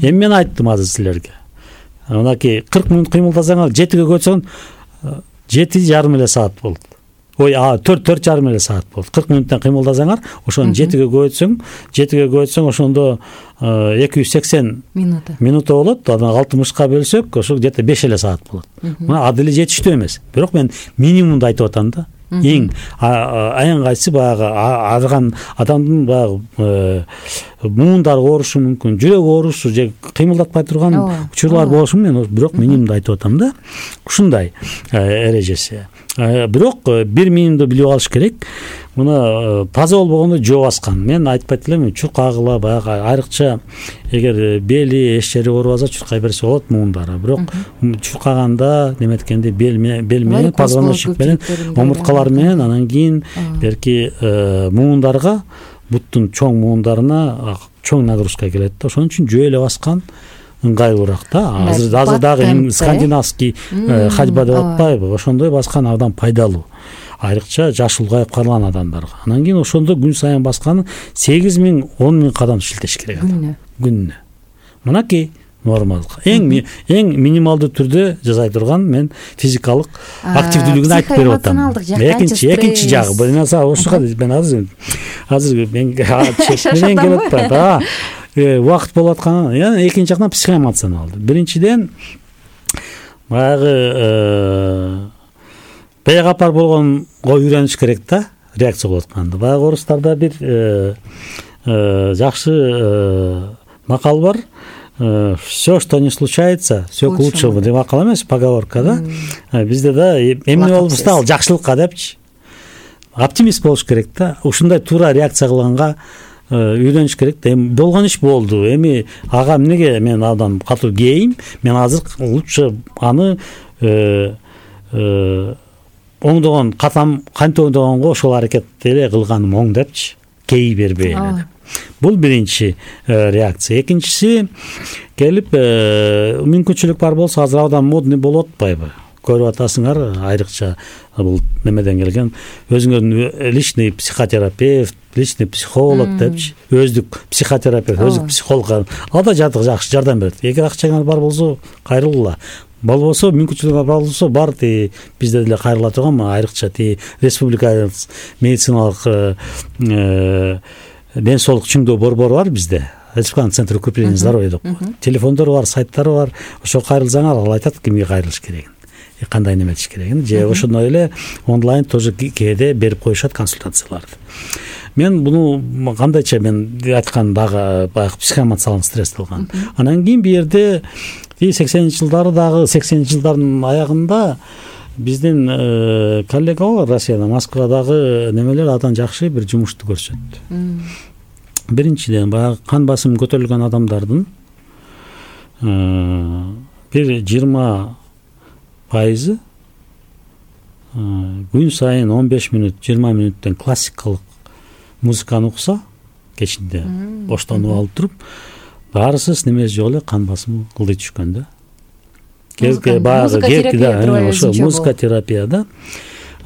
Эми мен айттым азыр силерге. Мынакей 40 мүнөт кыймылдасаңар 7ге көчсөң 7,5 эле саат болот. 4,5 эле саат болот. 40 мүнөттөн кыймылдасаңар, ошону 7ге көчсөң, ошондо 280 минута болот. Анан 60ка бөлсөк, ошо где-то 5 эле саат болот. Мына ада эле жетиштүү эмес. Бирок мен минимумду айтып атам да. Эң кайсы баягы арган адамдын баягы муундары оорушу мүмкүн, жүрөк оорушу же кыймылдатпай турган учурлар болушу мүмкүн. Мен бирок минимумду айтып атам да. Ушундай эрежеси. Бирок бир минимумду билип алыш керек. Мына таза болбогондо жөө баскан. Мен айтпайт элем, чуркагыла баягы айрыкча эгер бели, эч жери оорубаса чуркай берсе болот муундары. Бирок чуркаганда неметкенде бел менен, позвоночник менен, омурткалар менен, анан кийин берки муундарга буттун чоң муундарына чоң нагрузка келет да. Ошон үчүн жөө эле баскан ыңгайлуураак да. Азыр дагы скандинавский ходьба деп атпайбы, ошондой баскан абдан пайдалуу, айрыкча жаш улгайып калган адамдарга. Анан кийин ошондо күн сайын басканы 8 000 – 10 000 кадам шилтеш керек күнүнө. Мынакей нормалдык. Эң минималдуу түрдө жасай турган мен физикалык активдүүлүгүн айтып берип атам. Экинчи жагы мен ошого мен азыр мен чектенен келип атпайм. Убакыт болуп аткан. Экинчи жактан психоэмоционалдуу. Биринчиден баягы бейгапар болгонго үйрөнүш керек да, реакция болуп атканда. Баягы орустарда бир жакшы макал бар. Все, что не случается, все к лучшему деп макал эмес, поговорка да. Бизде да эмне болбосо ал жакшылыкка депчи. Оптимист болуш керек да. Ушундай туура реакция кылганга үйрөнүш керек да. Эми болгон иш болду. Эми ага эмнеге мен абдан катуу кейим, мен азыр лучше аны оңдогон кантип оңдогонго ошол аракет эле кылганым оң депчи, кей бербей эле деп. Бул биринчи реакция. Экинчиси келип мүмкүнчүлүк бар болсо азыр абдан модный болуп атпайбы? Көрүп атасыңар, айрыкча бул немеден келген өзүңөрдүн личный психотерапевт, личный психолог депчи, өздүк психотерапевт, өздүк психолог. Ал да жакшы жардам берет. Эгер акчаңар бар болсо кайрылгыла. Болбосо мүмкүнчүлүгү бар болсо бар бизде деле кайрыла турган айрыкча республика медициналык ден соолук чыңдоо борбору бар бизде. Республиканын центр укрепления здоровья деп коет. Телефондору бар, сайттары бар. Ошо кайрылсаңар, ал айтат кимге кайрылыш керегин, кандай неметиш керегин. Же ошондой эле онлайн тоже кээде берип коюшат консультацияларды. Мен буну кандайча мен айткан дагы баягы психоэмоционалдык стресс кылган. Анан кийин бу жерде 80-жылдардын аягында биздин коллега бар Россияда, Москвадагы немелер абдан жакшы бир жумушту көрсөттү. Биринчиден баягы кан басымы көтөрүлгөн адамдардын бир 20% күн сайын 15 мүнөт, 20 мүнөттөн классикалык музыканы укса, кечинде боштонуп алып туруп, баарысыз немеси жок эле кан басымы кылдый түшкөн да. Музыка терапия да.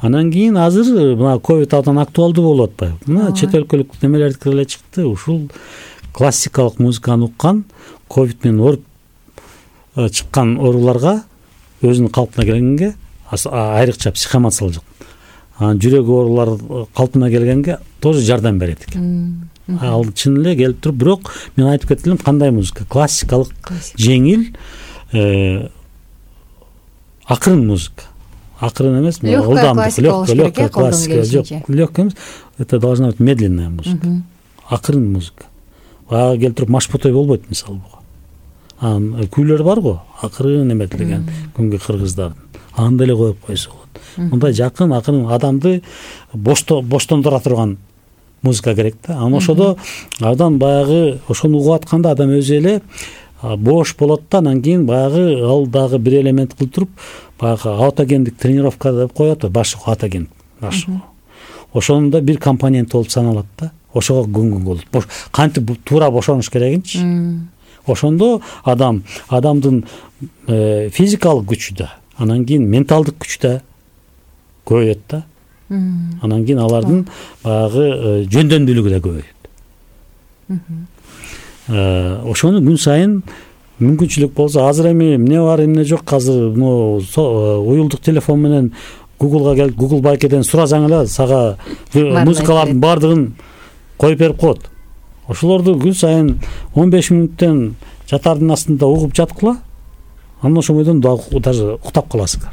Анан кийин азыр мына ковид абдан актуалдуу болуп атпайбы? Мына чет өлкөлүк немелердики эле чыкты. Ушул классикалык музыканы уккан, ковид менен ооруп чыккан ооруларга өзүнүн калпына келгенге, айрыкча психоэмоционалдык, жүрөк оорулары калпына келгенге тоже жардам берет экен. Ал чын эле келип туруп, бирок мен айтып кеттим, кандай музыка? Классикалык, жеңил, акырын музыка. Акырын эмес, ылдамдык, легкая классика. Жок, легкая эмес, это должна быть медленная музыка. Акырын музыка. Ага келип туруп машпотой болбойт мисалы буга. Анан күүлөр бар го, акырын эметилген күнгө кыргыздардын. Аны эле коюп койсо болот. Мындай жакын, акырын адамды боштондура турган музыка керек да. Анан ошодо абдан баягы ошону угуп атканда адам өзү эле бош болот да. Анан кийин баягы ал дагы бир элемент кылып туруп, баягы аутогендик тренировка деп коет, башы аутоген. Ошондо бир компонент болуп саналат да. Ошого көңгөн болот. Кантип туура бошонуш керегинчи. Ошондо адамдын физикалык күчү да, анан кийин менталдык күчү да көбөйөт да. Анан кийин алардын баягы жөндөмдүүлүгү да көбөйөт. Ошону күн сайын мүмкүнчүлүк болсо, азыр эми эмне бар, эмне жок, азыр уюлдук телефон менен Google'га келип, Google байкеден сурасаң эле сага музыкалардын баардыгын коюп берип коет. Ошолорду күн сайын 15 мүнөттөн жатардын астында угуп жаткыла, анан ошол бойдон даже уктап каласыңар.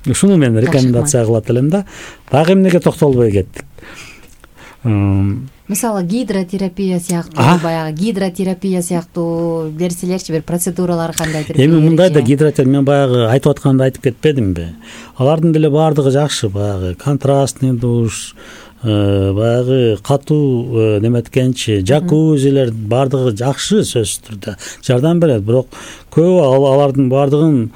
Ушуну мен рекомендация кылат элем да. Дагы эмнеге токтолбой кеттик. Мисалы гидротерапия сыяктуу, баягы гидротерапия сыяктуу нерселерчи, бир процедуралар кандайдыр? Эми мындай да гидротерапия, мен баягы айтып атканда айтып кетпедимби? Алардын деле баардыгы жакшы, баягы контрастный душ, баягы катуу неметкенчи, жакузилер баардыгы жакшы, сөзсүз түрдө жардам берет. Бирок көбү алардын баардыгын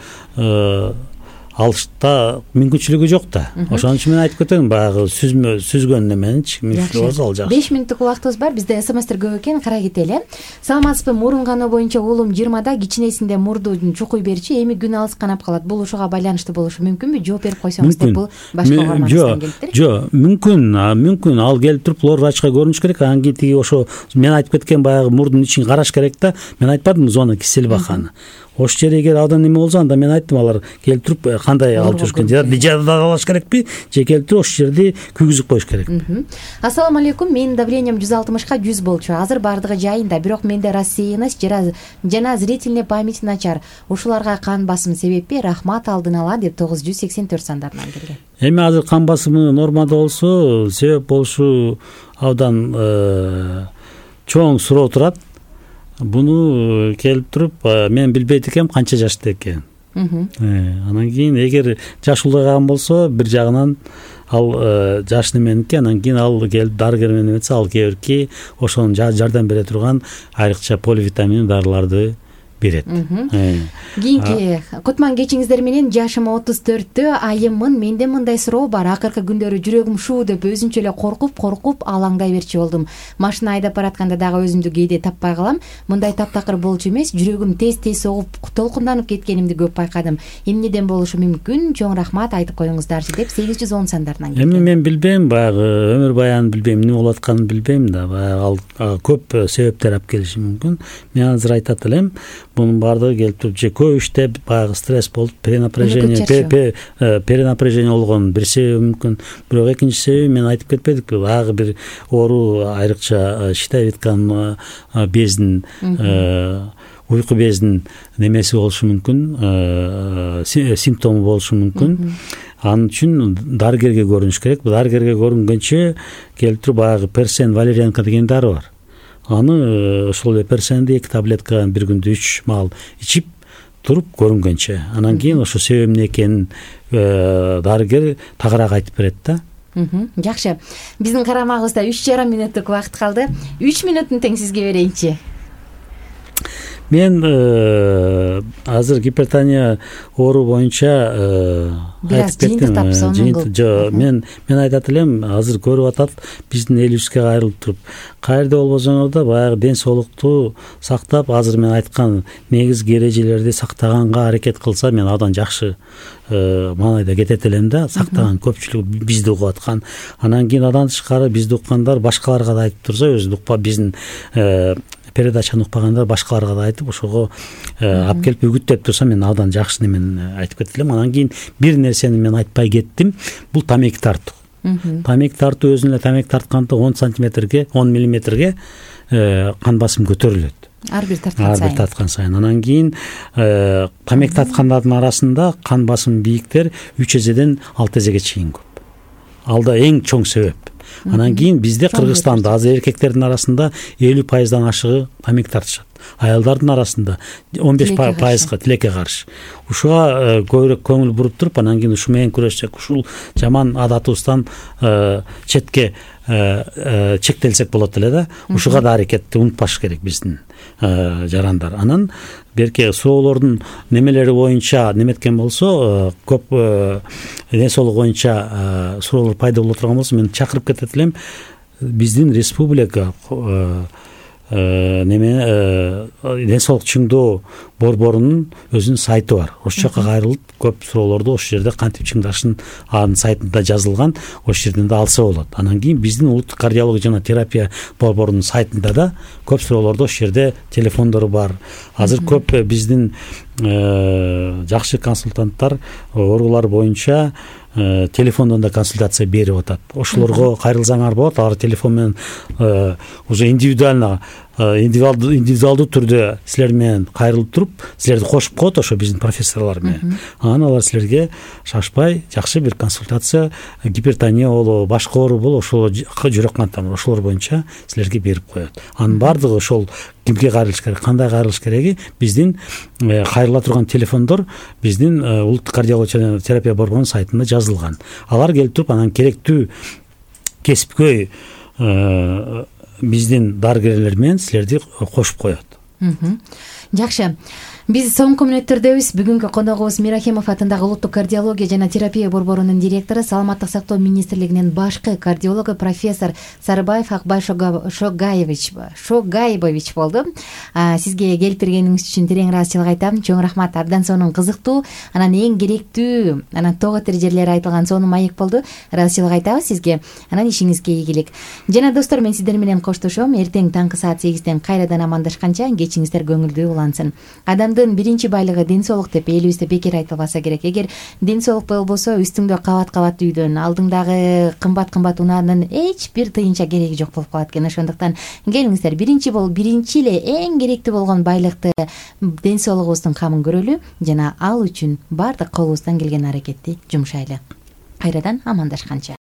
алышта мүмкүнчүлүгү жок да. Ошон үчүн мен айтып кетем, баягы сүзгөн неменичи мүмкүнчүлүгү болсо ал жакшы. 5 мүнөттүк убактыбыз бар. Бизде смстер көп экен, карай кетели. Саламатсызбы? Мурун каноо боюнча уулум 20да, кичинесинде мурду чукуй берчи, эми күн алыс канап калат. Бул ушуга байланыштуу болушу мүмкүнбү? Жооп берип койсоңуз деп, бул башка угарманыбыздан келиптир. Жок, мүмкүн. Ал келип туруп лор врачка көрүнүш керек. Анан кийин тиги ошо мен айтып кеткен баягы мурдун ичин караш керек да. Мен айтпадымбы зона киселбаканы. Ошол жер эгер абдан неме болсо, анда мен айттым, алар келип туруп кандай алып жүрүшкөн, же дазалаш керекпи, же келип туруп ошол жерди күйгүзүп коюш керекпи. Ассаламу алейкум. Менин давлением 160ка 100 болчу. Азыр бардыгы жайында, бирок менде рассеянность жана зрительный память начар. Ушуларга кан басым себеппи? Рахмат алдын ала деп 984 сандарынан келген. Эми азыр кан басымы нормада болсо, себеп болушу абдан чоң суроо турат. Буну келип туруп мен билбейт экенм канча жашта экенин. Анан кийин эгер жаш улгайган болсо, бир жагынан ал жаш неменики, анан кийин ал келип дарыгер менен эметсе, ал кээ бирки ошонун жардам бере турган айрыкча поливитамин дарыларды берет. Кийинки кутман кечиңиздер менен. Жашым 34-тө, айыммын. Менде мындай суроо бар. Акыркы күндөрү жүрөгүм шуу деп өзүнчө эле коркуп алаңдай берчү болдум. Машина айдап баратканда дагы өзүмдү кээде таппай калам. Мындай таптакыр болчу эмес, жүрөгүм тез согуп, толкунданып кеткенимди көп байкадым. Эмнеден болушу мүмкүн? Чоң рахмат, айтып коюңуздарчы деп 810 сандарынан келген. Эми мен билбейм, баягы өмүр баянын билбейм, эмне болуп атканын билбейм да. Баягы ал көп себептер алып келиши мүмкүн. Мен азыр айтат элем, бунун баардыгы келип туруп, же көп иштеп баягы стресс болуп, перенапряжение болгон бир себеби мүмкүн. Бирок экинчи себеби мен айтып кетпедикпи, баягы бир оору, айрыкча щитовидканын безин, уйку безинин немеси болушу мүмкүн, симптому болушу мүмкүн. Анын үчүн дарыгерге көрүнүш керек. Дарыгерге көрүнгөнчө келип туруп баягы персен валерьянка деген дары бар. Аны ошол эле персенди 2 таблетка бир күндө 3 маал ичип туруп көрүнгөнчө, анан кийин ошо себеби эмне экенин дарыгер тагыраак айтып берет да. Жакшы. Биздин карамагыбызда 3,5 мүнөттүк убакыт калды. 3 мүнөттүн тең сизге берейинчи. Мен азыр гипертония оору боюнча айтып кеттим. Мен айтат элем, азыр көрүп атат биздин элибизге кайрылып туруп, каерде болбосоңор да баягы ден соолукту сактап, азыр мен айткан негизги эрежелерди сактаганга аракет кылса, мен абдан жакшы маанайда кетет элем да. Сактаган көпчүлүк бизди угуп аткан. Анан кийин адан тышкары бизди уккандар башкаларга да айтып турса, өзү укпа биздин передачаны укпагандар башкаларга да айтып, ошого алып келип үгүттөп турса, мен абдан жакшы немен айтып кетет элем. Анан кийин бир нерсени мен айтпай кеттим. Бул тамеки тартуу. Тамеки тартуу өзүнө тамеки тартканда 10 сантиметрге, 10 миллиметрге кан басым көтөрүлөт. Ар бир тарткан сайын. Анан кийин тамеки тарткандардын арасында кан басым бийиктер 3 эзеден 6 эзеге чейин көп. Алда эң чоң себеп. Анан кийин бизде Кыргызстанда азыр эркектердин арасында 50% ашыгы тамеки тартышат. Аялдардын арасында 15%га тилекке каршы. Ушуга көбүрөөк көңүл буруп туруп, анан кийин ушу менен күрөшсөк, ушул жаман адатыбыздан четке чектелсек болот эле да. Ушуга да аракетти унутпаш керек биздин жарандар. Анан берке суроолордун немелери боюнча неметкен болсо, көп ден соолук боюнча суроолор пайда боло турган болсо, мен чакырып кетет элем, биздин республика ден соолук чыңдоо борборунун өзүнүн сайты бар. Ошол жака кайрылып, көп суроолорду ошол жерде кантип чыңдашын анын сайтында жазылган, ошол жерден да алса болот. Анан кийин биздин улуттук кардиология жана терапия борборунун сайтында да көп суроолорду ошол жерде телефондору бар. Азыр көп биздин жакшы консультанттар оорулар боюнча телефондон да консультация берип атат. Ошолорго кайрылсаңар болот. Алар телефон менен уже индивидуалдуу түрдө силер менен кайрылып туруп, силерди кошуп коет ошо биздин профессорлор менен. Анан алар силерге шашпай жакшы бир консультация, гипертония болобу, башка оору болобу, ошол жүрөк кан тамыр, ошолор боюнча силерге берип коет. Анын баардыгы ошол кимге кайрылыш керек, кандай кайрылыш кереги биздин кайрыла турган телефондор биздин улуттук кардиология жана терапия борборунун сайтында жазылган. Алар келип туруп, анан керектүү кесипкөй биздин дарыгерлер менен силерди кошуп коет. Жакшы. Биз соңку мүнөттөрдөбүз. Бүгүнкү коногубуз Мирахимов атындагы улуттук кардиология жана терапия борборунун директору, Саламаттык сактоо министрлигинин башкы кардиологу профессор Сарыбаев Акбай Шогайбович болду. Сизге келип бергениңиз үчүн терең ыраазычылык айтам. Чоң рахмат. Абдан сонун кызыктуу, анан эң керектүү, анан тоо тир жерлери айтылган сонун маек болду. Ыраазычылык айтабыз сизге. Анан ишиңизге ийгилик. Жана достор, мен сиздер менен коштошом. Эртең таңкы саат 8ден кайрадан амандашканча кечиңиздер көңүлдүү улансын. Адамдын биринчи байлыгы ден соолук деп элибизде бекер айтылбаса керек. Эгер ден соолук болбосо, үстүңдө кабат үйдөн, алдыңдагы кымбат унаанын эч бир тыйынча кереги жок болуп калат экен. Ошондуктан келиңиздер, биринчи эле эң керектүү болгон байлыкты, ден соолугубуздун камын көрөлү жана ал үчүн баардык колубуздан келген аракетти жумшайлы. Кайрадан амандашканча.